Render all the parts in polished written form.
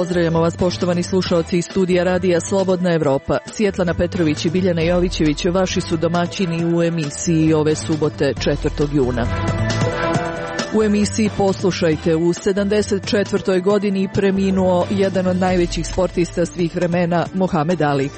Pozdravljamo vas, poštovani slušaoci iz studija Radija Slobodna Evropa. Svjetlana Petrović i Biljana Jovićević vaši su domaćini u emisiji ove subote 4. juna. U emisiji poslušajte, u 74. godini preminuo jedan od najvećih sportista svih vremena, Mohamed Ali.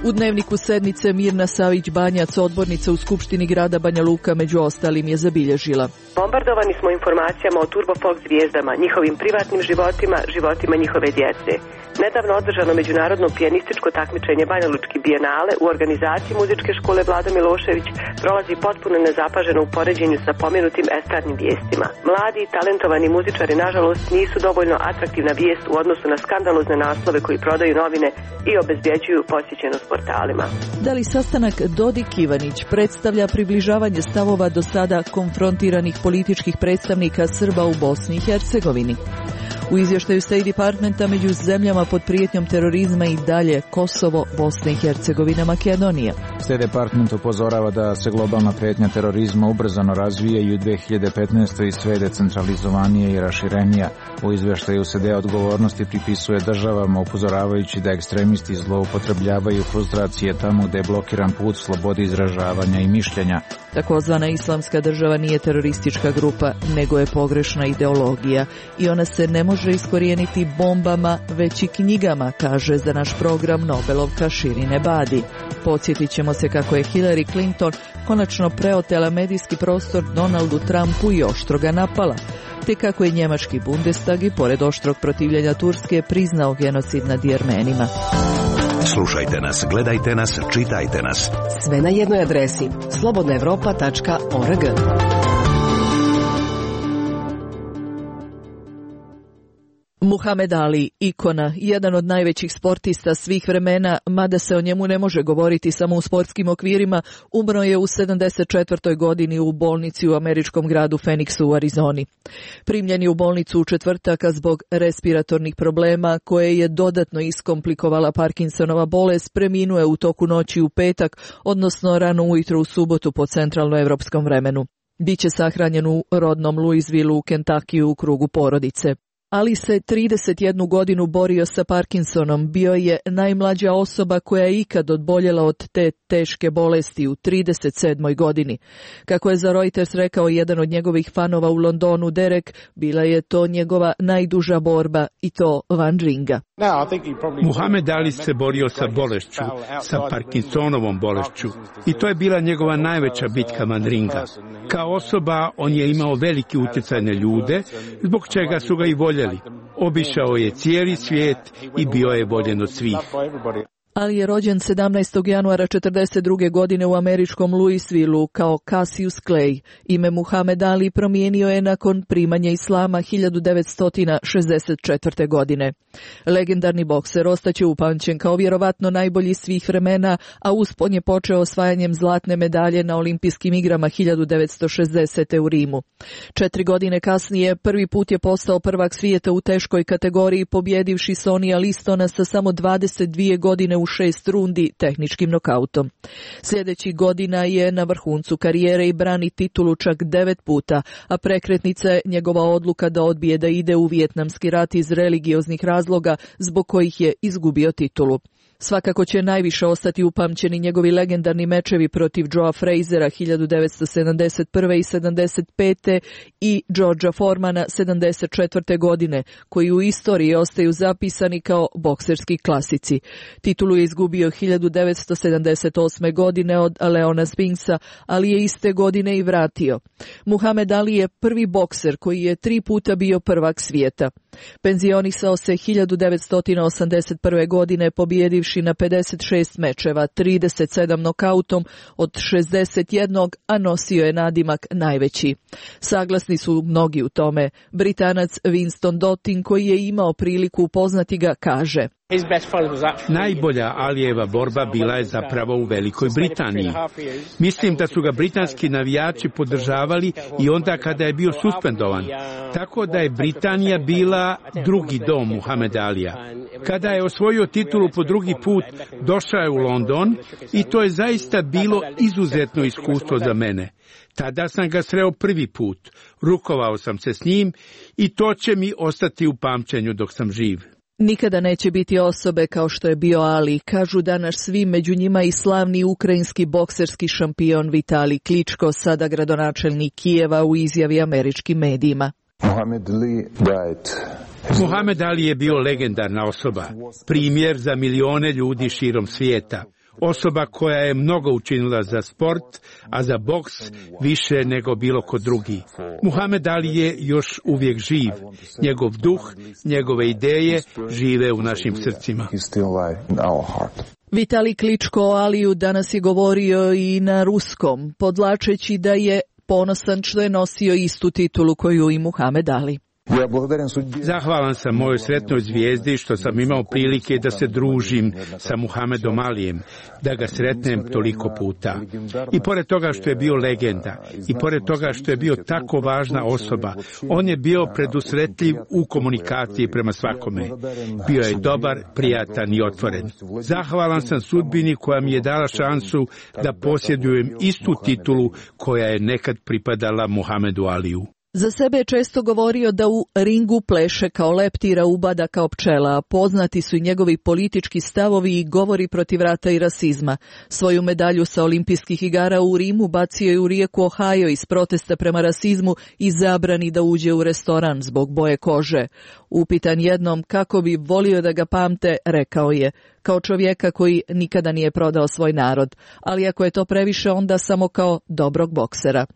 U dnevniku sednice Mirna Savić-Banjac, odbornica u Skupštini grada Banja Luka, među ostalim je zabilježila: bombardovani smo informacijama o turbofolk zvijezdama, njihovim privatnim životima, životima njihove djece. Nedavno održano međunarodno pijanističko takmičenje Banja Lučki bijenale u organizaciji muzičke škole Vlado Milošević prolazi potpuno nezapaženo u poređenju sa pomenutim estradnim vijestima. Mladi i talentovani muzičari, nažalost, nisu dovoljno atraktivna vijest u odnosu na skandalozne naslove koji prodaju novine i obezbjeđuju posjećenost portalima. Da li sastanak Dodik-Ivanić predstavlja približavanje stavova do sada konfrontiranih političkih predstavnika Srba u Bosni i Hercegovini? U izvještaju State Departmenta među zemljama pod prijetnjom terorizma i dalje Kosovo, Bosna i Hercegovina, Makedonija. State Department upozorava da se globalna prijetnja terorizma ubrzano razvija i u 2015. i sve decentralizovanije i raširenija. U izvještaju se deo odgovornosti pripisuje državama, upozoravajući da ekstremisti zloupotrebljavaju frustracije tamo gdje je blokiran put slobodi izražavanja i mišljenja. Takozvana islamska država nije teroristička grupa, nego je pogrešna ideologija i ona se ne može iskorijeniti bombama, već i knjigama, kaže za naš program Nobelovka Shirin Ebadi. Podsjetit ćemo se kako je Hillary Clinton konačno preotela medijski prostor Donaldu Trumpu i oštro ga napala, te kako je njemački Bundestag i pored oštrog protivljenja Turske priznao genocid nad Jermenima. Slušajte nas, gledajte nas, čitajte nas. Sve na jednoj adresi: slobodnaevropa.org. Muhamed Ali, ikona, jedan od najvećih sportista svih vremena, mada se o njemu ne može govoriti samo u sportskim okvirima, umro je u 74. godini u bolnici u američkom gradu Phoenixu u Arizoni. Primljen je u bolnicu u četvrtak zbog respiratornih problema koje je dodatno iskomplikovala Parkinsonova bolest, preminuo je u toku noći u petak, odnosno rano ujutro u subotu po centralnoevropskom vremenu. Biće sahranjen u rodnom Louisvilleu u Kentakiju u krugu porodice. Ali se 31 godinu borio sa Parkinsonom, bio je najmlađa osoba koja je ikad odboljela od te teške bolesti u 37. godini. Kako je za Reuters rekao jedan od njegovih fanova u Londonu, Derek, bila je to njegova najduža borba i to van ringa. Muhamed Ali se borio sa bolešću, sa Parkinsonovom bolešću, i to je bila njegova najveća bitka van ringa. Kao osoba on je imao veliki utjecaj na ljude, zbog čega su ga i voljeli. Obišao je cijeli svijet i bio je voljen od svih. Ali je rođen 17. januara 1942. godine u američkom Louisvilleu kao Cassius Clay. Ime Muhamed Ali promijenio je nakon primanja islama 1964. godine. Legendarni bokser ostaće upamćen kao vjerovatno najbolji svih vremena, a uspon je počeo osvajanjem zlatne medalje na olimpijskim igrama 1960. u Rimu. 4 godine kasnije prvi put je postao prvak svijeta u teškoj kategoriji, pobjedivši Sonija Listona sa samo 22 godine u 6 rundi tehničkim nokautom. Sljedećih godina je na vrhuncu karijere i brani titulu čak 9 puta, a prekretnica je njegova odluka da odbije da ide u Vijetnamski rat iz religioznih razloga zbog kojih je izgubio titulu. Svakako će najviše ostati upamćeni njegovi legendarni mečevi protiv Joea Frazera 1971. i 75. i Georgea Foremana 74. godine, koji u istoriji ostaju zapisani kao bokserski klasici. Titulu je izgubio 1978. godine od Leona Spinksa, ali je iste godine i vratio. Muhamed Ali je prvi bokser koji je 3 puta bio prvak svijeta. Penzionisao se 1981. godine pobjedivši na 56 mečeva, 37 nokautom od 61, a nosio je nadimak najveći. Saglasni su mnogi u tome. Britanac Winston Dottin, koji je imao priliku upoznati ga, kaže: Najbolja Alijeva borba bila je zapravo u Velikoj Britaniji. Mislim da su ga britanski navijači podržavali i onda kada je bio suspendovan. Tako da je Britanija bila drugi dom Muhameda Alija. Kada je osvojio titulu po drugi put, došao je u London i to je zaista bilo izuzetno iskustvo za mene. Tada sam ga sreo prvi put, rukovao sam se s njim i to će mi ostati u pamćenju dok sam živ. Nikada neće biti osobe kao što je bio Ali, kažu danas svi, među njima i slavni ukrajinski bokserski šampion Vitalij Kličko, sada gradonačelnik Kijeva, u izjavi američkim medijima. Muhamed Ali je bio legendarna osoba, primjer za milione ljudi širom svijeta. Osoba koja je mnogo učinila za sport, a za boks više nego bilo ko drugi. Muhamed Ali je još uvijek živ. Njegov duh, njegove ideje žive u našim srcima. Vitalij Kličko o Aliju danas je govorio i na ruskom, podlačeći da je ponosan što je nosio istu titulu koju i Muhamed Ali. Zahvalan sam mojoj sretnoj zvijezdi što sam imao prilike da se družim sa Muhamedom Alijem, da ga sretnem toliko puta. I pored toga što je bio legenda, i pored toga što je bio tako važna osoba, on je bio predusretljiv u komunikaciji prema svakome. Bio je dobar, prijatan i otvoren. Zahvalan sam sudbini koja mi je dala šansu da posjedujem istu titulu koja je nekad pripadala Muhamedu Aliju. Za sebe je često govorio da u ringu pleše kao leptira, ubada kao pčela, a poznati su i njegovi politički stavovi i govori protiv rata i rasizma. Svoju medalju sa olimpijskih igara u Rimu bacio je u rijeku Ohio iz protesta prema rasizmu i zabrani da uđe u restoran zbog boje kože. Upitan jednom kako bi volio da ga pamte, rekao je, kao čovjeka koji nikada nije prodao svoj narod, ali ako je to previše, onda samo kao dobrog boksera.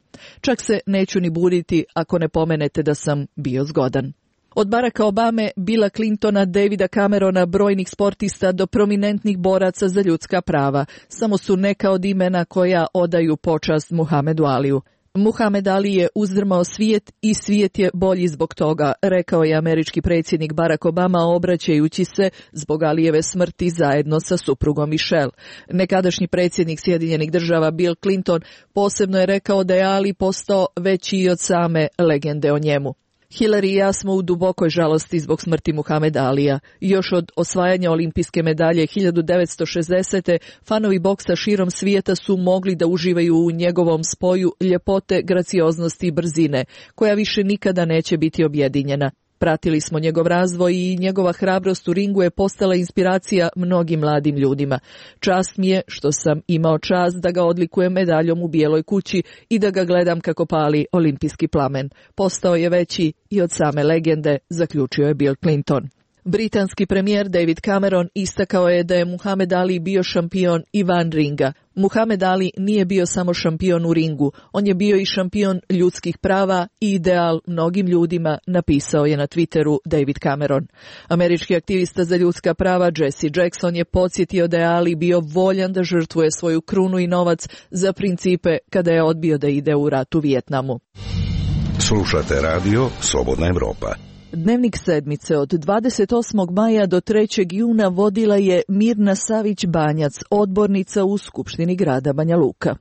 Čak se neću ni buditi ako ne pomenete da sam bio zgodan. Od Baracka Obame, Billa Clintona, Davida Camerona, brojnih sportista do prominentnih boraca za ljudska prava, samo su neka od imena koja odaju počast Muhamedu Aliju. Muhamed Ali je uzdrmao svijet i svijet je bolji zbog toga, rekao je američki predsjednik Barack Obama obraćajući se zbog Alijeve smrti zajedno sa suprugom Michelle. Nekadašnji predsjednik Sjedinjenih Država Bill Clinton posebno je rekao da je Ali postao veći i od same legende o njemu. Hillary i ja smo u dubokoj žalosti zbog smrti Muhameda Alija. Još od osvajanja olimpijske medalje 1960. fanovi boksa širom svijeta su mogli da uživaju u njegovom spoju ljepote, gracioznosti i brzine, koja više nikada neće biti objedinjena. Pratili smo njegov razvoj i njegova hrabrost u ringu je postala inspiracija mnogim mladim ljudima. Čast mi je što sam imao čast da ga odlikujem medaljom u Bijeloj kući i da ga gledam kako pali olimpijski plamen. Postao je veći i od same legende, zaključio je Bill Clinton. Britanski premijer David Cameron istakao je da je Muhamed Ali bio šampion i van ringa. Muhamed Ali nije bio samo šampion u ringu, on je bio i šampion ljudskih prava i ideal mnogim ljudima, napisao je na Twitteru David Cameron. Američki aktivista za ljudska prava Jesse Jackson je podsjetio da je Ali bio voljan da žrtvuje svoju krunu i novac za principe kada je odbio da ide u rat u Vijetnamu. Slušate radio Slobodna Evropa. Dnevnik sedmice od 28. maja do 3. juna vodila je Mirna Savić-Banjac, odbornica u Skupštini grada Banja Luka.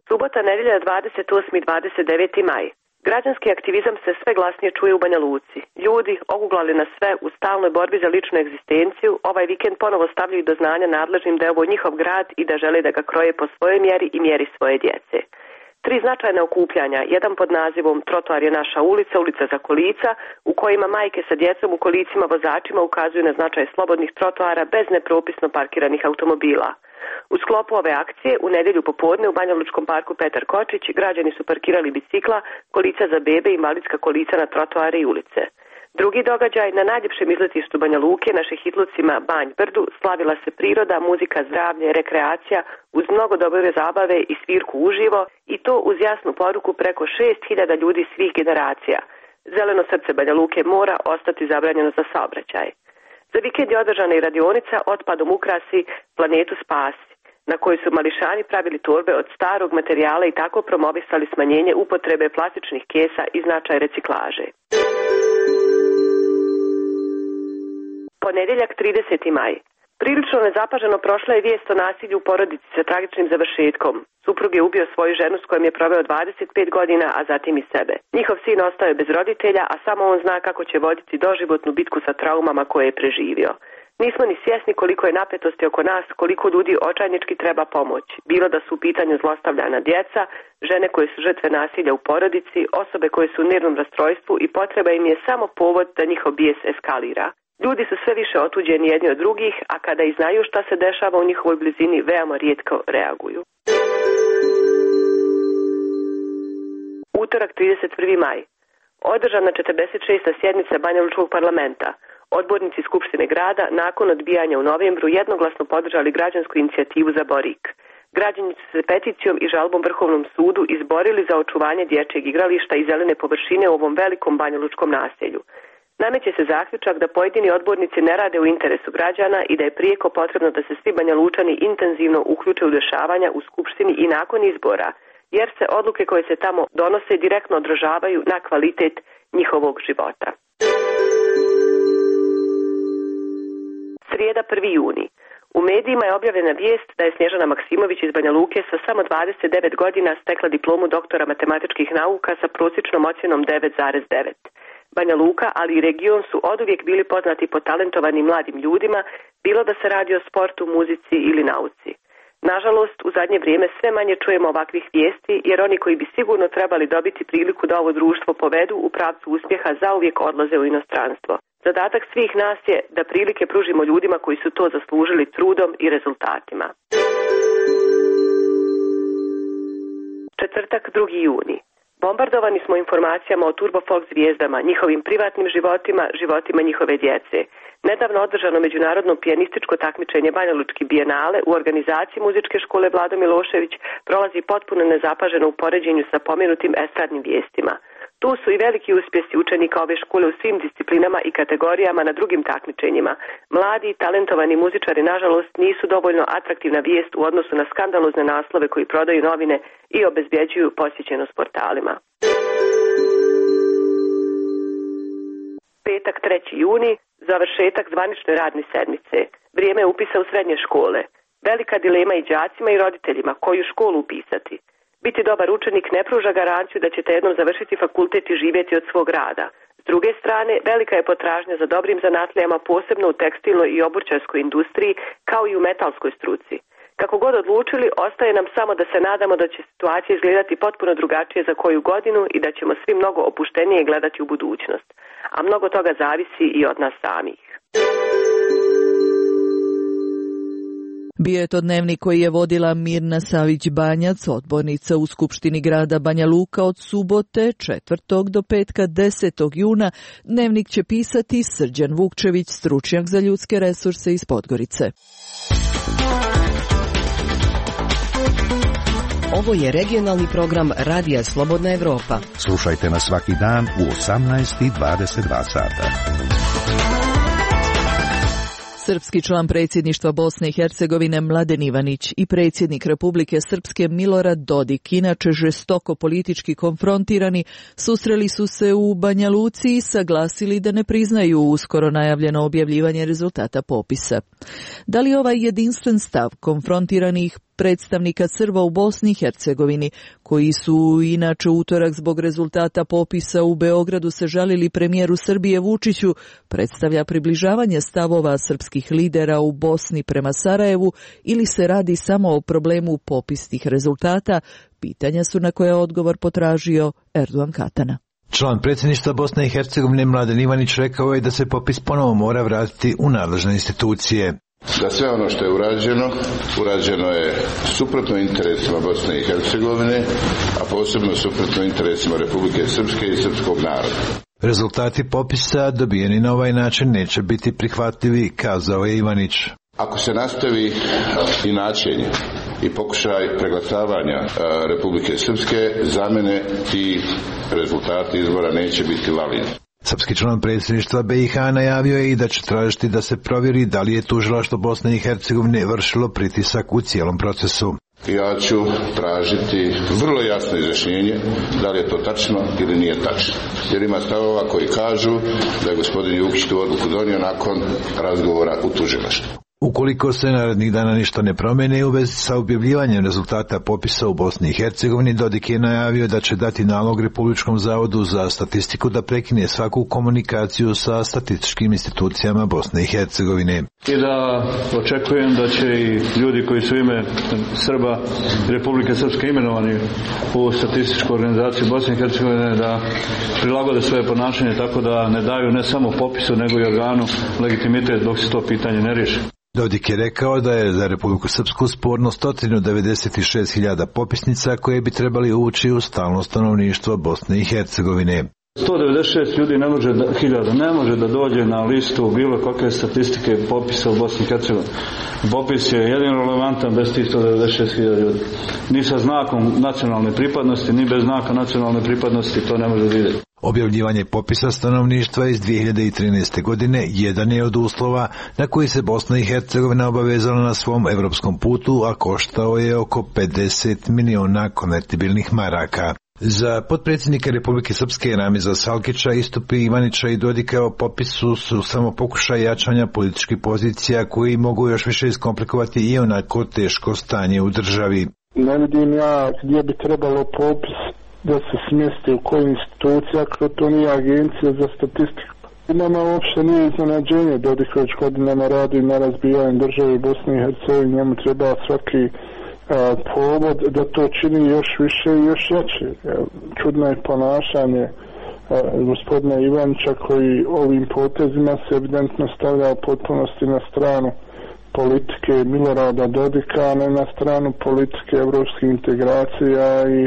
Subota, nedelja, 28. i 29. maj. Građanski aktivizam se sve glasnije čuje u Banja Luci. Ljudi, oguglali na sve u stalnoj borbi za ličnu egzistenciju, ovaj vikend ponovo stavljaju do znanja nadležnim da je ovo njihov grad i da žele da ga kroje po svojoj mjeri i mjeri svoje djece. 3 značajna okupljanja, jedan pod nazivom Trotoar je naša ulica, ulica za kolica, u kojima majke sa djecom u kolicima vozačima ukazuju na značaj slobodnih trotoara bez nepropisno parkiranih automobila. U sklopu ove akcije, u nedjelju popodne u Banjalučkom parku Petar Kočić, građani su parkirali bicikla, kolica za bebe i invalidska kolica na trotoare i ulice. Drugi događaj, na najljepšem izletištu Banja Luke, naše hitlucima Banj Brdu, slavila se priroda, muzika, zdravlje, rekreacija, uz mnogo dobre zabave i svirku uživo, i to uz jasnu poruku preko 6.000 ljudi svih generacija. Zeleno srce Banja Luke mora ostati zabranjeno za saobraćaj. Za vikend je održana i radionica Otpadom ukrasi, planetu spasi, na kojoj su mališani pravili torbe od starog materijala i tako promovisali smanjenje upotrebe plastičnih kesa i značaj reciklaže. Ponedjeljak 30. maj. Prilično nezapaženo prošla je vijest o nasilju u porodici sa tragičnim završetkom. Suprug je ubio svoju ženu s kojom je proveo 25 godina, a zatim i sebe. Njihov sin ostao je bez roditelja, a samo on zna kako će voditi doživotnu bitku sa traumama koje je preživio. Nismo ni svjesni koliko je napetosti oko nas, koliko ljudi očajnički treba pomoć. Bilo da su u pitanju zlostavljana djeca, žene koje su žrtve nasilja u porodici, osobe koje su u nervnom rastrojstvu i potreba im je samo povod da njihov bijes eskalira. Ljudi su sve više otuđeni jedni od drugih, a kada i znaju šta se dešava u njihovoj blizini, veoma rijetko reaguju. Utorak 31. maj. Održana 46. sjednica Banjalučkog parlamenta. Odbornici Skupštine grada nakon odbijanja u novembru jednoglasno podržali građansku inicijativu za Borik. Građani su se peticijom i žalbom Vrhovnom sudu izborili za očuvanje dječjeg igrališta i zelene površine u ovom velikom banjalučkom naselju. Nameće se zaključak da pojedini odbornici ne rade u interesu građana i da je prijeko potrebno da se svi Banjalučani intenzivno uključe u dešavanja u Skupštini i nakon izbora, jer se odluke koje se tamo donose direktno odražavaju na kvalitet njihovog života. Srijeda 1. juni. U medijima je objavljena vijest da je Snježana Maksimović iz Banja Luke sa samo 29 godina stekla diplomu doktora matematičkih nauka sa prosječnom ocjenom 9,9. Banja Luka, ali i region su oduvijek bili poznati po talentovanim mladim ljudima, bilo da se radi o sportu, muzici ili nauci. Nažalost, u zadnje vrijeme sve manje čujemo ovakvih vijesti, jer oni koji bi sigurno trebali dobiti priliku da ovo društvo povedu u pravcu uspjeha zauvijek odlaze u inostranstvo. Zadatak svih nas je da prilike pružimo ljudima koji su to zaslužili trudom i rezultatima. Četvrtak 2. juni. Bombardovani smo informacijama o turbofolk zvijezdama, njihovim privatnim životima, životima njihove djece. Nedavno održano međunarodno pijanističko takmičenje Banjalučki bijenale u organizaciji muzičke škole Vlado Milošević prolazi potpuno nezapaženo u poređenju sa pomenutim estradnim vijestima. Tu su i veliki uspjesi učenika ove škole u svim disciplinama i kategorijama na drugim takmičenjima. Mladi i talentovani muzičari, nažalost, nisu dovoljno atraktivna vijest u odnosu na skandalozne naslove koji prodaju novine i obezbjeđuju posjećenost portalima. Petak 3. juni, završetak zvanične radne sedmice. Vrijeme upisa u srednje škole. Velika dilema i đacima i roditeljima koju školu upisati. Biti dobar učenik ne pruža garanciju da ćete jednom završiti fakultet i živjeti od svog rada. S druge strane, velika je potražnja za dobrim zanatlijama, posebno u tekstilnoj i obućarskoj industriji, kao i u metalskoj struci. Kako god odlučili, ostaje nam samo da se nadamo da će situacija izgledati potpuno drugačije za koju godinu i da ćemo svi mnogo opuštenije gledati u budućnost. A mnogo toga zavisi i od nas samih. Bio je to dnevnik koji je vodila Mirna Savić-Banjac, odbornica u Skupštini grada Banja Luka od subote 4. do petka 10. juna. Dnevnik će pisati Srđan Vukčević, stručnjak za ljudske resurse iz Podgorice. Ovo je regionalni program Radija Slobodna Evropa. Slušajte nas svaki dan u 18:22 sata. Srpski član predsjedništva Bosne i Hercegovine Mladen Ivanić i predsjednik Republike Srpske Milorad Dodik, inače žestoko politički konfrontirani, susreli su se u Banja Luci i saglasili da ne priznaju uskoro najavljeno objavljivanje rezultata popisa. Da li ovaj jedinstven stav konfrontiranih predstavnika Srba u Bosni i Hercegovini, koji su inače utorak zbog rezultata popisa u Beogradu se žalili premijeru Srbije Vučiću, predstavlja približavanje stavova srpskih lidera u Bosni prema Sarajevu ili se radi samo o problemu popisnih rezultata, pitanja su na koje odgovor potražio Erdogan Katana. Član predsjedništva Bosne i Hercegovine Mladen Ivanić rekao je da se popis ponovo mora vratiti u nadležne institucije. Da sve ono što je urađeno je suprotno interesima Bosne i Hercegovine, a posebno suprotno interesima Republike Srpske i srpskog naroda. Rezultati popisa dobijeni na ovaj način neće biti prihvatljivi, kazao je Ivanić. Ako se nastavi inačenje i pokušaj preglasavanja Republike Srpske, za mene ti rezultati izbora neće biti lavina. Srpski član predsjedništva BiH najavio je i da će tražiti da se provjeri da li je tužilaštvo Bosne i Hercegovine vršilo pritisak u cijelom procesu. Ja ću tražiti vrlo jasno izjašnjenje da li je to tačno ili nije tačno. Jer ima stavova koji kažu da je gospodin Jukić tu odluku donio nakon razgovora u tužilaštvu. Ukoliko se narednih dana ništa ne promene u vezi sa objavljivanjem rezultata popisa u Bosni i Hercegovini, Dodik je najavio da će dati nalog Republičkom zavodu za statistiku da prekine svaku komunikaciju sa statističkim institucijama Bosne i Hercegovine. I da očekujem da će i ljudi koji su ime Srba Republike Srpske imenovani u statističku organizaciju Bosne i Hercegovine da prilagode svoje ponašanje tako da ne daju ne samo popisu nego i organu legitimitet dok se to pitanje ne riješi. Dodik je rekao da je za Republiku Srpsku sporno 196.000 popisnica koje bi trebali ući u stalno stanovništvo Bosne i Hercegovine. 196 ljudi ne može da dođe na listu bilo kakve statistike popisa u Bosni i Hercegovini. Popis je jedino relevantan bez tih 196.000 ljudi. Ni sa znakom nacionalne pripadnosti, ni bez znaka nacionalne pripadnosti to ne može vidjeti. Objavljivanje popisa stanovništva iz 2013. godine jedan je od uslova na koji se Bosna i Hercegovina obavezala na svom evropskom putu, a koštao je oko 50 miliona konvertibilnih maraka. Za potpredsjednika Republike Srpske Ramiza Salkića istupi Ivanića i Dodika o popisu su samo pokušaj jačanja političkih pozicija koji mogu još više iskomplikovati i onako teško stanje u državi. Ne vidim ja gdje bi trebalo popis da se smjesti u kojoj instituciji, ako to nije agencija za statistiku. Nama uopšte nije iznenađenje, Dodik već godinama radi na razbijanju države Bosne i Hercegovine, njemu treba svaki povod da to čini još više i još jače. Čudno je ponašanje gospodina Ivanića koji ovim potezima se evidentno stavlja u potpunosti na stranu politike Milorada Dodika, a ne na stranu politike evropskih integracija i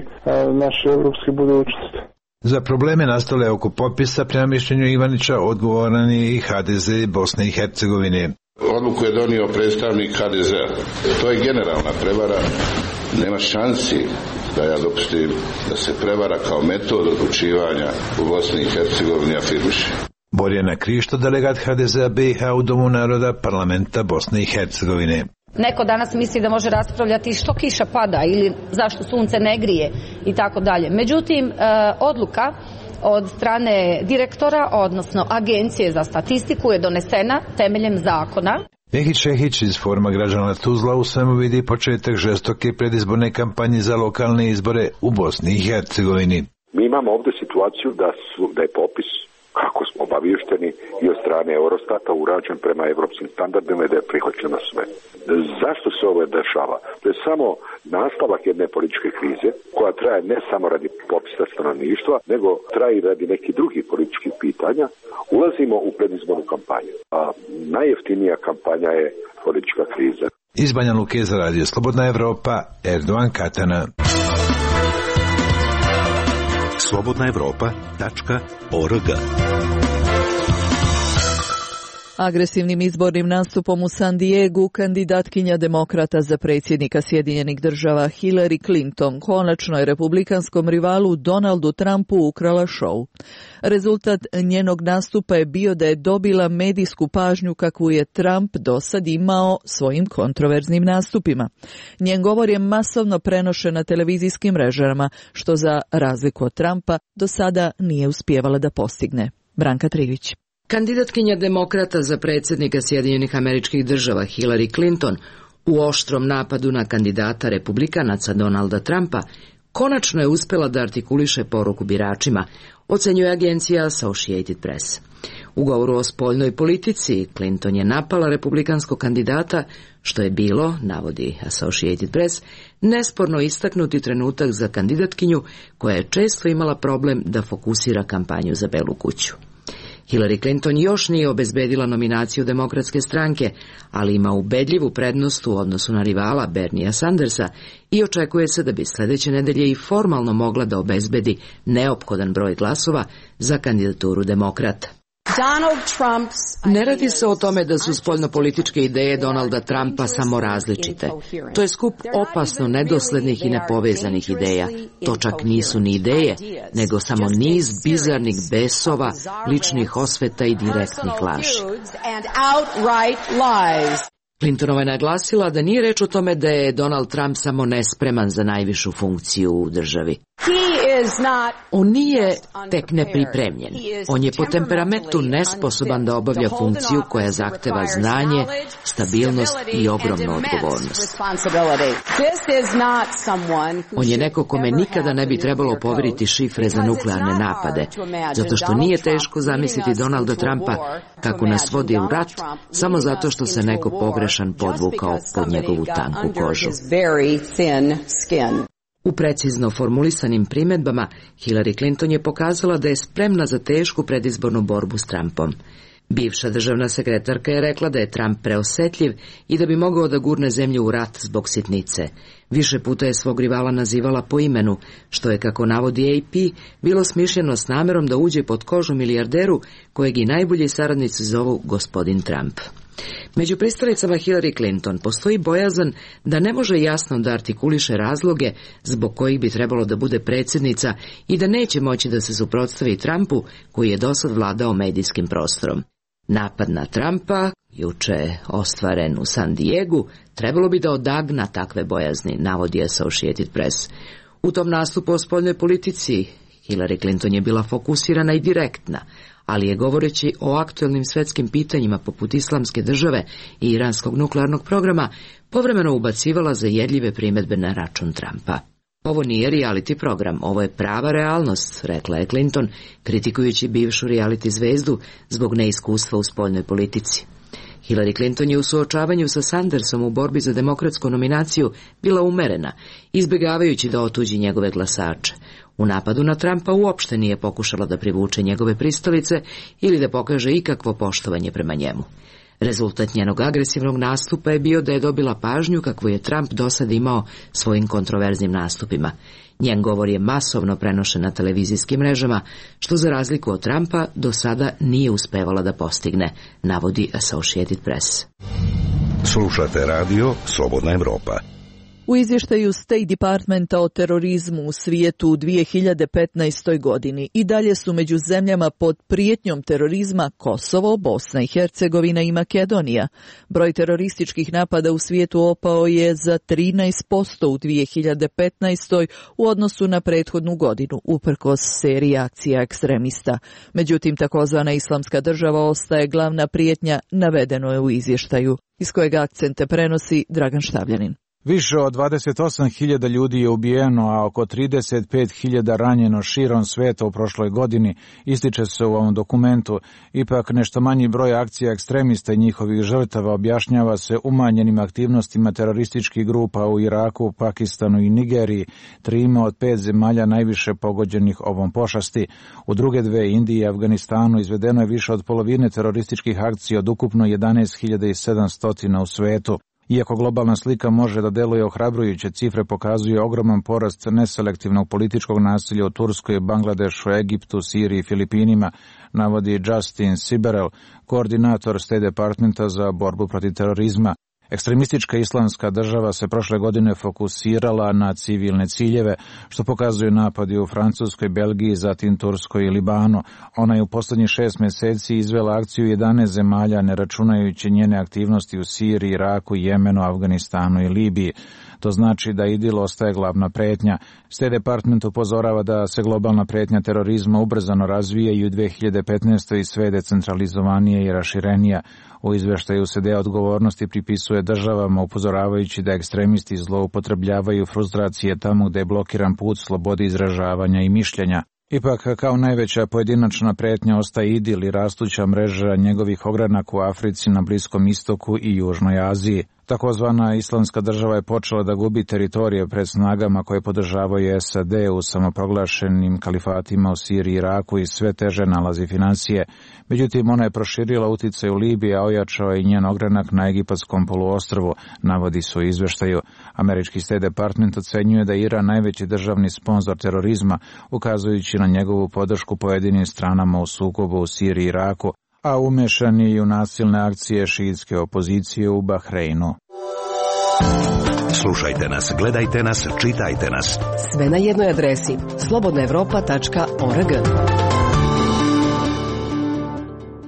naše evropske budućnosti. Za probleme nastale oko popisa, prema mišljenju Ivanića, odgovoran je i HDZ Bosne i Hercegovine. Odluku je donio predstavnik HDZ-a. To je generalna prevara. Nema šansi da ja dopustim da se prevara kao metod odlučivanja u Bosni i Hercegovini afirmiše. Borjana Krišto, delegat HDZ-a BiH u Domu naroda parlamenta Bosne i Hercegovine. Neko danas misli da može raspravljati što kiša pada ili zašto sunce ne grije i tako dalje. Međutim, odluka od strane direktora, odnosno Agencije za statistiku je donesena temeljem zakona. Mehić Šehić iz Foruma građana Tuzla u svemu vidi početak žestoke predizborne kampanje za lokalne izbore u Bosni i Hercegovini. Mi imamo ovdje situaciju da je popis, kako smo obavješteni, i od strane Eurostata urađen prema evropskim standardima i da je prihvaćeno sve. Zašto se ovo dešava? To je samo nastavak jedne političke krize koja traje ne samo radi popisa stanovništva, nego traje i radi nekih drugih političkih pitanja. Ulazimo u predizbornu kampanju, a najjeftinija kampanja je politička kriza. Iz Banja Luke za radio Slobodna Evropa, Erdogan Katana. slobodnaevropa.org. Agresivnim izbornim nastupom u San Diegu kandidatkinja demokrata za predsjednika Sjedinjenih država Hillary Clinton konačno je republikanskom rivalu Donaldu Trumpu ukrala šou. Rezultat njenog nastupa je bio da je dobila medijsku pažnju kakvu je Trump dosad imao svojim kontroverznim nastupima. Njen govor je masovno prenošen na televizijskim mrežama, što za razliku od Trumpa do sada nije uspijevala da postigne. Branka Trivić. Kandidatkinja demokrata za predsjednika Sjedinjenih Američkih Država Hillary Clinton u oštrom napadu na kandidata republikanaca Donalda Trumpa konačno je uspjela da artikuliše poruku biračima, ocenjuje agencija Associated Press. U govoru o spoljnoj politici Clinton je napala republikanskog kandidata, što je bilo, navodi Associated Press, nesporno istaknuti trenutak za kandidatkinju koja je često imala problem da fokusira kampanju za Belu kuću. Hillary Clinton još nije obezbedila nominaciju Demokratske stranke, ali ima ubedljivu prednost u odnosu na rivala Berniea Sandersa i očekuje se da bi sljedeće nedelje i formalno mogla da obezbedi neophodan broj glasova za kandidaturu demokrata. Ne radi se o tome da su spoljnopolitičke ideje Donalda Trumpa samo različite. To je skup opasno nedoslednih i nepovezanih ideja. To čak nisu ni ideje, nego samo niz bizarnih besova, ličnih osveta i direktnih laži. Clintonova je naglasila da nije reč o tome da je Donald Trump samo nespreman za najvišu funkciju u državi. On nije tek nepripremljen. On je po temperamentu nesposoban da obavlja funkciju koja zahteva znanje, stabilnost i ogromnu odgovornost. On je neko kome nikada ne bi trebalo poveriti šifre za nuklearne napade, zato što nije teško zamisliti Donalda Trumpa kako nas vodi u rat, samo zato što se neko pogrešan podvukao pod njegovu tanku kožu. U precizno formulisanim primjedbama Hillary Clinton je pokazala da je spremna za tešku predizbornu borbu s Trumpom. Bivša državna sekretarka je rekla da je Trump preosetljiv i da bi mogao da gurne zemlju u rat zbog sitnice. Više puta je svog rivala nazivala po imenu, što je, kako navodi AP, bilo smišljeno s namerom da uđe pod kožu milijarderu kojeg i najbolji saradnici zovu gospodin Trump. Među pristalicama Hillary Clinton postoji bojazan da ne može jasno da artikuliše razloge zbog kojih bi trebalo da bude predsjednica i da neće moći da se suprotstavi Trumpu koji je dosad vladao medijskim prostorom. Napad na Trumpa, juče ostvaren u San Diegu, trebalo bi da odagna takve bojazni, navodi Associated Press. U tom nastupu o spoljnoj politici Hillary Clinton je bila fokusirana i direktna, ali je, govoreći o aktuelnim svetskim pitanjima poput Islamske države i iranskog nuklearnog programa, povremeno ubacivala zajedljive primjedbe na račun Trumpa. Ovo nije reality program, ovo je prava realnost, rekla je Clinton, kritikujući bivšu reality zvezdu zbog neiskustva u spoljnoj politici. Hillary Clinton je u suočavanju sa Sandersom u borbi za demokratsku nominaciju bila umerena, izbjegavajući da otuđi njegove glasače. U napadu na Trumpa uopšte nije pokušala da privuče njegove pristalice ili da pokaže ikakvo poštovanje prema njemu. Rezultat njenog agresivnog nastupa je bio da je dobila pažnju kakvu je Trump dosad imao svojim kontroverznim nastupima. Njen govor je masovno prenošen na televizijskim mrežama, što za razliku od Trumpa do sada nije uspevala da postigne, navodi Associated Press. Slušate radio Slobodna Evropa. U izvještaju State Departmenta o terorizmu u svijetu u 2015. godini i dalje su među zemljama pod prijetnjom terorizma Kosovo, Bosna i Hercegovina i Makedonija. Broj terorističkih napada u svijetu opao je za 13% u 2015. u odnosu na prethodnu godinu, uprkos seriji akcija ekstremista. Međutim, takozvana Islamska država ostaje glavna prijetnja, navedeno je u izvještaju, iz kojeg akcente prenosi Dragan Štavljanin. Više od 28.000 ljudi je ubijeno, a oko 35.000 ranjeno širom sveta u prošloj godini, ističe se u ovom dokumentu. Ipak nešto manji broj akcija ekstremista i njihovih žrtava objašnjava se umanjenim aktivnostima terorističkih grupa u Iraku, Pakistanu i Nigeriji, 3 od 5 zemalja najviše pogođenih ovom pošasti. U druge dve, Indiji i Afganistanu, izvedeno je više od polovine terorističkih akcija od ukupno 11.700 u svetu. Iako globalna slika može da deluje ohrabrujuće, cifre pokazuje ogroman porast neselektivnog političkog nasilja u Turskoj, Bangladešu, Egiptu, Siriji i Filipinima, navodi Justin Siberel, koordinator State Departmenta za borbu protiv terorizma. Ekstremistička Islamska država se prošle godine fokusirala na civilne ciljeve, što pokazuju napadi u Francuskoj, Belgiji, zatim Turskoj i Libanu. Ona je u posljednjih 6 mjeseci izvela akciju 11 zemalja, ne računajući njene aktivnosti u Siriji, Iraku, Jemenu, Afganistanu i Libiji. To znači da IDIL ostaje glavna pretnja. State Department upozorava da se globalna pretnja terorizma ubrzano razvija i u 2015. i sve decentralizovanije i raširenija. U izveštaju se deo odgovornosti pripisuje državama, upozoravajući da ekstremisti zloupotrebljavaju frustracije tamo gde je blokiran put slobode izražavanja i mišljenja. Ipak, kao najveća pojedinačna pretnja ostaje IDIL i rastuća mreža njegovih ogranaka u Africi, na Bliskom istoku i Južnoj Aziji. Takozvana Islamska država je počela da gubi teritorije pred snagama koje podržavaju SAD u samoproglašenim kalifatima u Siriji i Iraku i sve teže nalazi financije. Međutim, ona je proširila uticaj u Libiji, a ojačao je njen ogranak na Egipatskom poluostrvu, navodi se u izveštaju. Američki State Department ocenjuje da je Iran najveći državni sponzor terorizma, ukazujući na njegovu podršku pojedinim stranama u sukobu u Siriji i Iraku, a umešan je i u nasilne akcije šiitske opozicije u Bahreinu. Slušajte nas, gledajte nas, čitajte nas. Sve na jednoj adresi slobodnaevropa.org.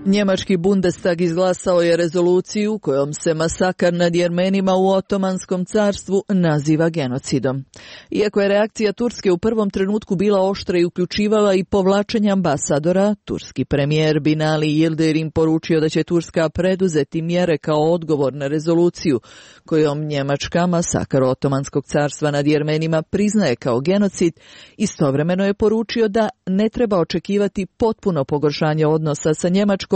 Njemački Bundestag izglasao je rezoluciju kojom se masakr nad Jermenima u Otomanskom carstvu naziva genocidom. Iako je reakcija Turske u prvom trenutku bila oštra i uključivala i povlačenje ambasadora, turski premijer Binali Yildirim poručio da će Turska preduzeti mjere kao odgovor na rezoluciju kojom Njemačka masakr Otomanskog carstva nad Jermenima priznaje kao genocid. Istovremeno je poručio da ne treba očekivati potpuno pogoršanje odnosa sa Njemačkom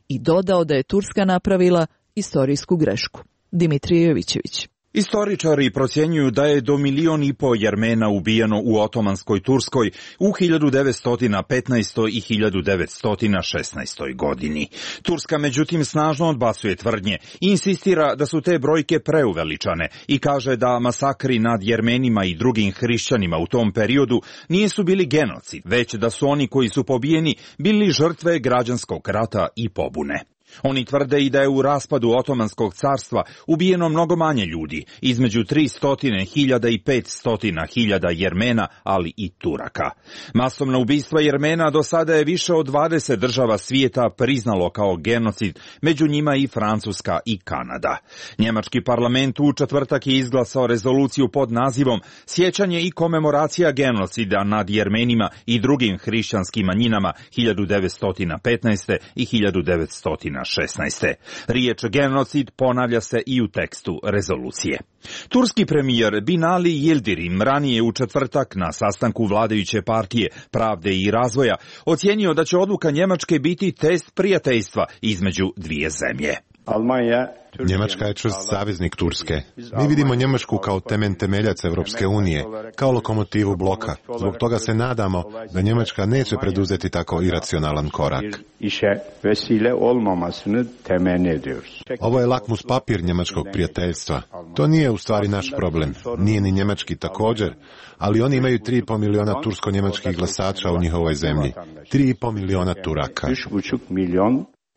i dodao da je Turska napravila istorijsku grešku. Dimitrije Jovićević. Istoričari procjenjuju da je do 1,5 miliona Jermena ubijeno u Otomanskoj Turskoj u 1915. i 1916. godini. Turska međutim snažno odbacuje tvrdnje i insistira da su te brojke preuveličane i kaže da masakri nad Jermenima i drugim hrišćanima u tom periodu nisu bili genocid, već da su oni koji su pobijeni bili žrtve građanskog rata i pobune. Oni tvrde i da je u raspadu Otomanskog carstva ubijeno mnogo manje ljudi, između 300.000 i 500.000 Jermena, ali i Turaka. Masovna ubistva Jermena do sada je više od 20 država svijeta priznalo kao genocid, među njima i Francuska i Kanada. Njemački parlament u četvrtak je izglasao rezoluciju pod nazivom Sjećanje i komemoracija genocida nad Jermenima i drugim hrišćanskim manjinama 1915. i 1916. Riječ genocid ponavlja se i u tekstu rezolucije. Turski premijer Binali Yildirim ranije u četvrtak na sastanku vladajuće partije Pravde i razvoja ocijenio da će odluka Njemačke biti test prijateljstva između dvije zemlje. Njemačka je čvrst saveznik Turske. Mi vidimo Njemačku kao temeljac Evropske unije, kao lokomotivu bloka. Zbog toga se nadamo da Njemačka neće preduzeti tako iracionalan korak. Ovo je lakmus papir njemačkog prijateljstva. To nije u stvari naš problem. Nije ni njemački također, ali oni imaju 3,5 miliona tursko-njemačkih glasača u njihovoj zemlji. 3,5 miliona Turaka.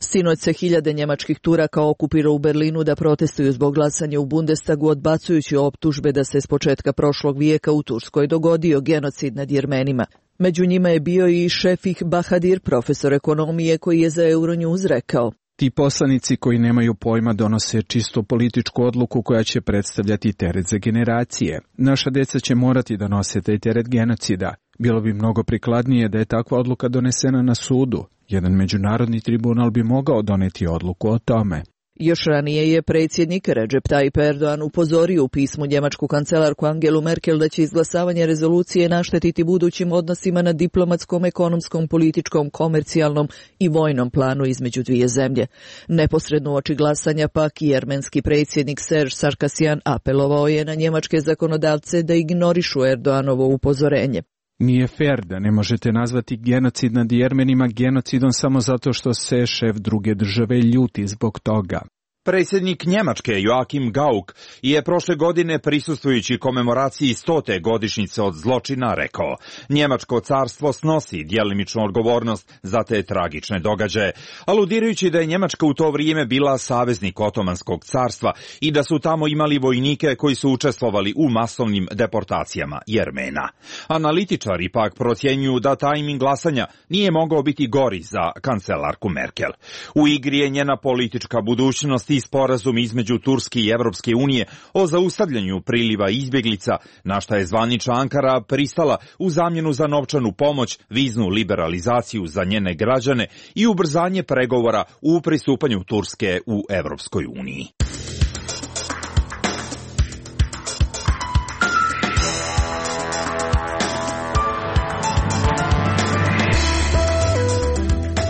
Sinoć se hiljade njemačkih Turaka okupirao u Berlinu da protestuju zbog glasanja u Bundestagu, odbacujući optužbe da se s početka prošlog vijeka u Turskoj dogodio genocid nad Jermenima. Među njima je bio i Šefik Bahadir, profesor ekonomije, koji je za Euronews rekao: Ti poslanici koji nemaju pojma donose čisto političku odluku koja će predstavljati teret za generacije. Naša deca će morati da nose taj teret genocida. Bilo bi mnogo prikladnije da je takva odluka donesena na sudu. Jedan međunarodni tribunal bi mogao doneti odluku o tome. Još ranije je predsjednik Recep Tayyip Erdogan upozorio u pismu njemačku kancelarku Angelu Merkel da će izglasavanje rezolucije naštetiti budućim odnosima na diplomatskom, ekonomskom, političkom, komercijalnom i vojnom planu između dvije zemlje. Neposredno uoči glasanja pak jermenski predsjednik Serge Sarkisyan apelovao je na njemačke zakonodavce da ignorišu Erdoganovo upozorenje. Nije fair da ne možete nazvati genocid nad Jermenima genocidom samo zato što se šef druge države ljuti zbog toga. Predsjednik Njemačke Joachim Gauck je prošle godine prisustvujući komemoraciji 100. godišnjice od zločina rekao: Njemačko carstvo snosi djelimičnu odgovornost za te tragične događaje, aludirajući da je Njemačka u to vrijeme bila saveznik Otomanskog carstva i da su tamo imali vojnike koji su učestvovali u masovnim deportacijama Jermena. Analitičari pak procjenjuju da tajming glasanja nije mogao biti gori za kancelarku Merkel. U igri je njena politička budućnost i sporazum između Turske i Evropske unije o zaustavljanju priliva izbjeglica, na šta je zvanična Ankara pristala u zamjenu za novčanu pomoć, viznu liberalizaciju za njene građane i ubrzanje pregovora u pristupanju Turske u Evropskoj uniji.